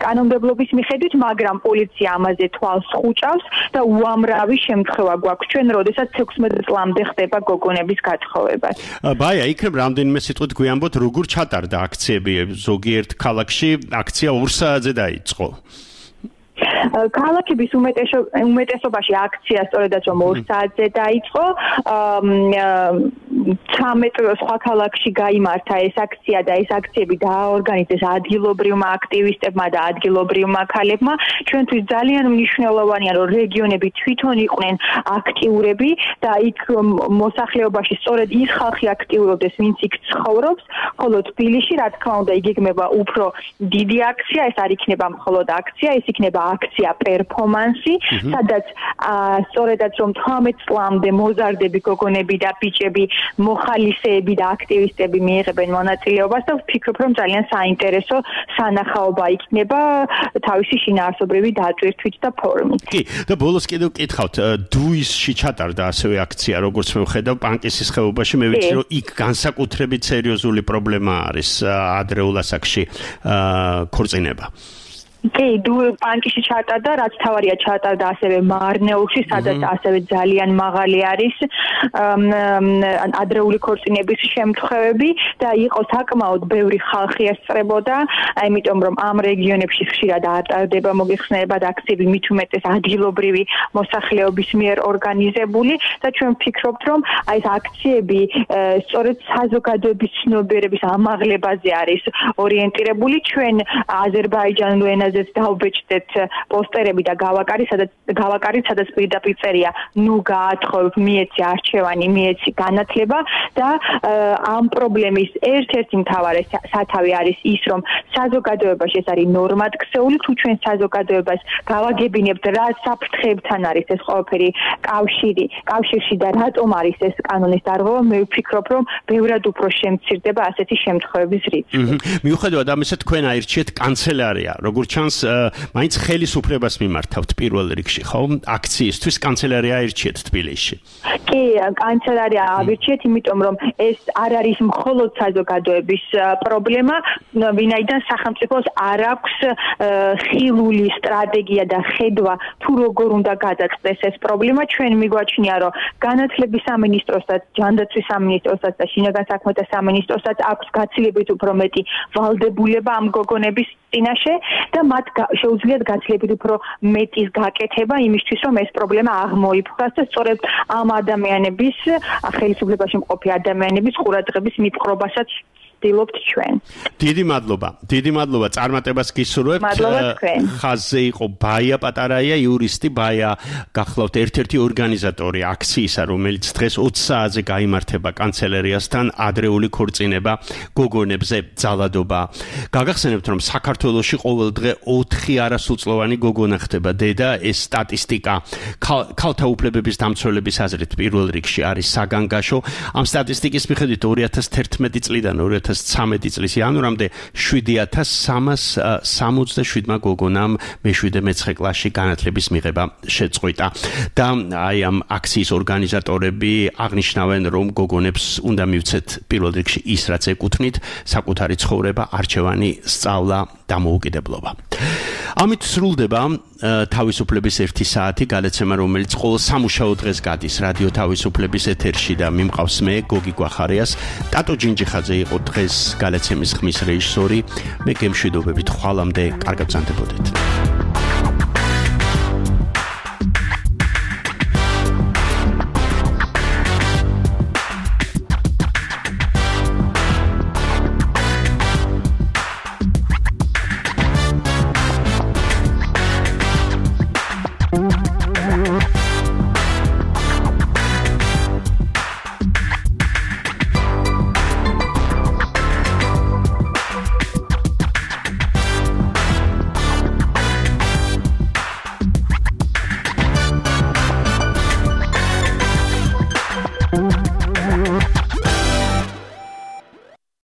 კანონმდებლობის მიხედვით, მაგრამ პოლიცია ამაზე თვალს ხუჭავს და უამრავი შემთხვევა გვაქვს ჩვენ, როდესაც 16 წლამდე ხდება გოგონების გათხოვება. ბაია, იქნებ რამდენიმე სიტყვით გვიამბოთ, როგორ ჩატარდა აქციები ზოგიერთ ქალაქში, აქცია 2 საათზე დაიწყო. ქალაქების უმეტესობაში აქცია სწორედაც რომ 2 საათზე დაიწყო. 13 სხვა ქალაქში გაიმართა ეს აქცია და ეს აქციები დააორგანიზეს ადგილობრივმა აქტივისტებმა და ადგილობრივმა ქალებმა. ჩვენთვის ძალიან მნიშვნელოვანია რომ რეგიონები თვითონ იყვნენ აქტიურები და იქ მოსახლეობაში სწორედ ის ხალხი აქტიურობდეს, ვინც იქ ცხოვრობს, ხოლო თბილისში რა თქმა უნდა იგეგმება უფრო დიდი აქცია, ეს არ იქნება მხოლოდ აქცია, ეს იქნება აქცია პერფორმანსი, სადაც სწორედაც რომ 18 წლამდე მოზარდები გოგონები და ბიჭები, მოხალისეები და აქტივისტები მიიღებენ მონაწილეობას და ვფიქრობ რომ ძალიან საინტერესო სანახაობა იქნება თავისი შინაარსობრივი დატვირთვით და ფორმით. კი, და ბოლოს კიდევ კითხავთ, დუისში ჩატარდა ასევე აქცია, როგორც მე ვხედავ, პანკისის ხეობაში, მე ვიცი რომ იქ განსაკუთრებით სერიოზული პრობლემა არის ადრეულ ასაკში ქორწინება. კი, პანკისში ჩატარდა, რაც თავარია ჩატარდა ასევე მარნეულში, სადაც ასევე ძალიან მაღალი არის ადრეული ქორწინების შემთხვევები და იყო საკმაოდ ბევრი ხალხი ესწრებოდა, იმიტომ რომ ამ რეგიონებში ხშირად არ ტარდება მოგეხსენებათ აქციები მით უმეტეს ადგილობრივი მოსახლეობის მიერ ორგანიზებული და ჩვენ ვფიქრობთ რომ აი ეს აქციები სწორედ საზოგადოების ცნობიერების ამაღლებაზე არის ორიენტირებული. ჩვენ აზერბაიჯანულ ენაზე დავბეჭდეთ პოსტერები და გავაკარით, სადაც პირდაპირ წერია, ნუ გაათხოვებ, მიეცი არჩევანი, მიეცი განათლება და ამ პრობლემის ერთ-ერთი მთავარი სათავე არის ის, რომ საზოგადოებაში ეს არის ნორმად ქსეული, თუ ჩვენ საზოგადოებას გავაგებინებთ, რა საფრთხეებთან არის ეს ყველაფერი კავშირში და რატომ არის ეს კანონის დარღვევა, მე ვფიქრობ, რომ ბევრად უფრო შემცირდება ასეთი შემთხვევების რიცხვი. მიუხედავად ამისა, თქვენ აირჩიეთ კანცელარია, როგორც ჩანს, მაინც ხელისუფლებას მიმართავთ პირველ რიგში, ხო? აქციისთვის კანცელარია აირჩიეთ თბილისში. კი, კანცელარია ავირჩიეთ, იმიტომ რომ ეს არ არის მხოლოდ საზოგადოების პრობლემა, ვინაიდან სახელმწიფოს არ აქვს ხილული სტრატეგია და ხედვა, თუ როგორ უნდა გადაწყდეს ეს პრობლემა. ჩვენ მიგვაჩნია, რომ განათლების სამინისტროსაც, ჯანდაცვის სამინისტროსაც და შინაგან საქმეთა სამინისტროსაც აქვს გაცილებით უფრო მეტი ვალდებულება ამ გოგონების წინაშე და მათ შეუძლიათ გაცილებით უფრო მეტის გაკეთება იმისთვის, რომ ეს პრობლემა აღმოიფხვრას და სწორედ ამ ადამიანების ხელისუფლებაში მყოფი ადამიანების ყურადღების მიპყრობასაც ვცდილობთ ჩვენ. დიდი მადლობა წარმატებას გისურვებთ. ხაზზე იყო ბაია პატარაია, იურისტი. ბაია გახლავთ ერთ-ერთი ორგანიზატორი აქციისა, რომელიც დღეს 20 საათზე გაიმართება კანცელერიასთან, ადრეული ქორწინება გოგონებზე ძალადობა. გაგახსენებთ, რომ საქართველოში ყოველდღე 4 არასრულწლოვანი გოგონა ხდება დედა. ეს სტატისტიკა ქალთა უფლებების დამცველების აზრით პირველ რიგში არის საგანგაშო. ამ სტატისტიკის მიხედვით 2011 წლიდან 2013 წლის იანვრამდე 7367 გოგონამ მე-7-მე-9 კლასში განათლების მიღება შეწყვიტა. და აი ამ აქციის ორგანიზატორები აღნიშნავენ, რომ გოგონებს უნდა მივცეთ პირველ რიგში ის, რაც ეკუთვნით, საკუთარი ცხოვრება, არჩევანი, სწავლა, დამოუკიდებლობა. ამით სრულდება თავისუფლების 1 საათი გადაცემა, რომელიც ყოველ სამუშაო დღეს გადის რადიო თავისუფლების ეთერში და მიმყავს მე გოგი გვახარიას. ტატო ჯინჯიხაძე იყო დღეს გადაცემის ხმის რეჟისორი. მე გემშვიდობებით ხვალამდე კარგად ბრძანდებოდეთ.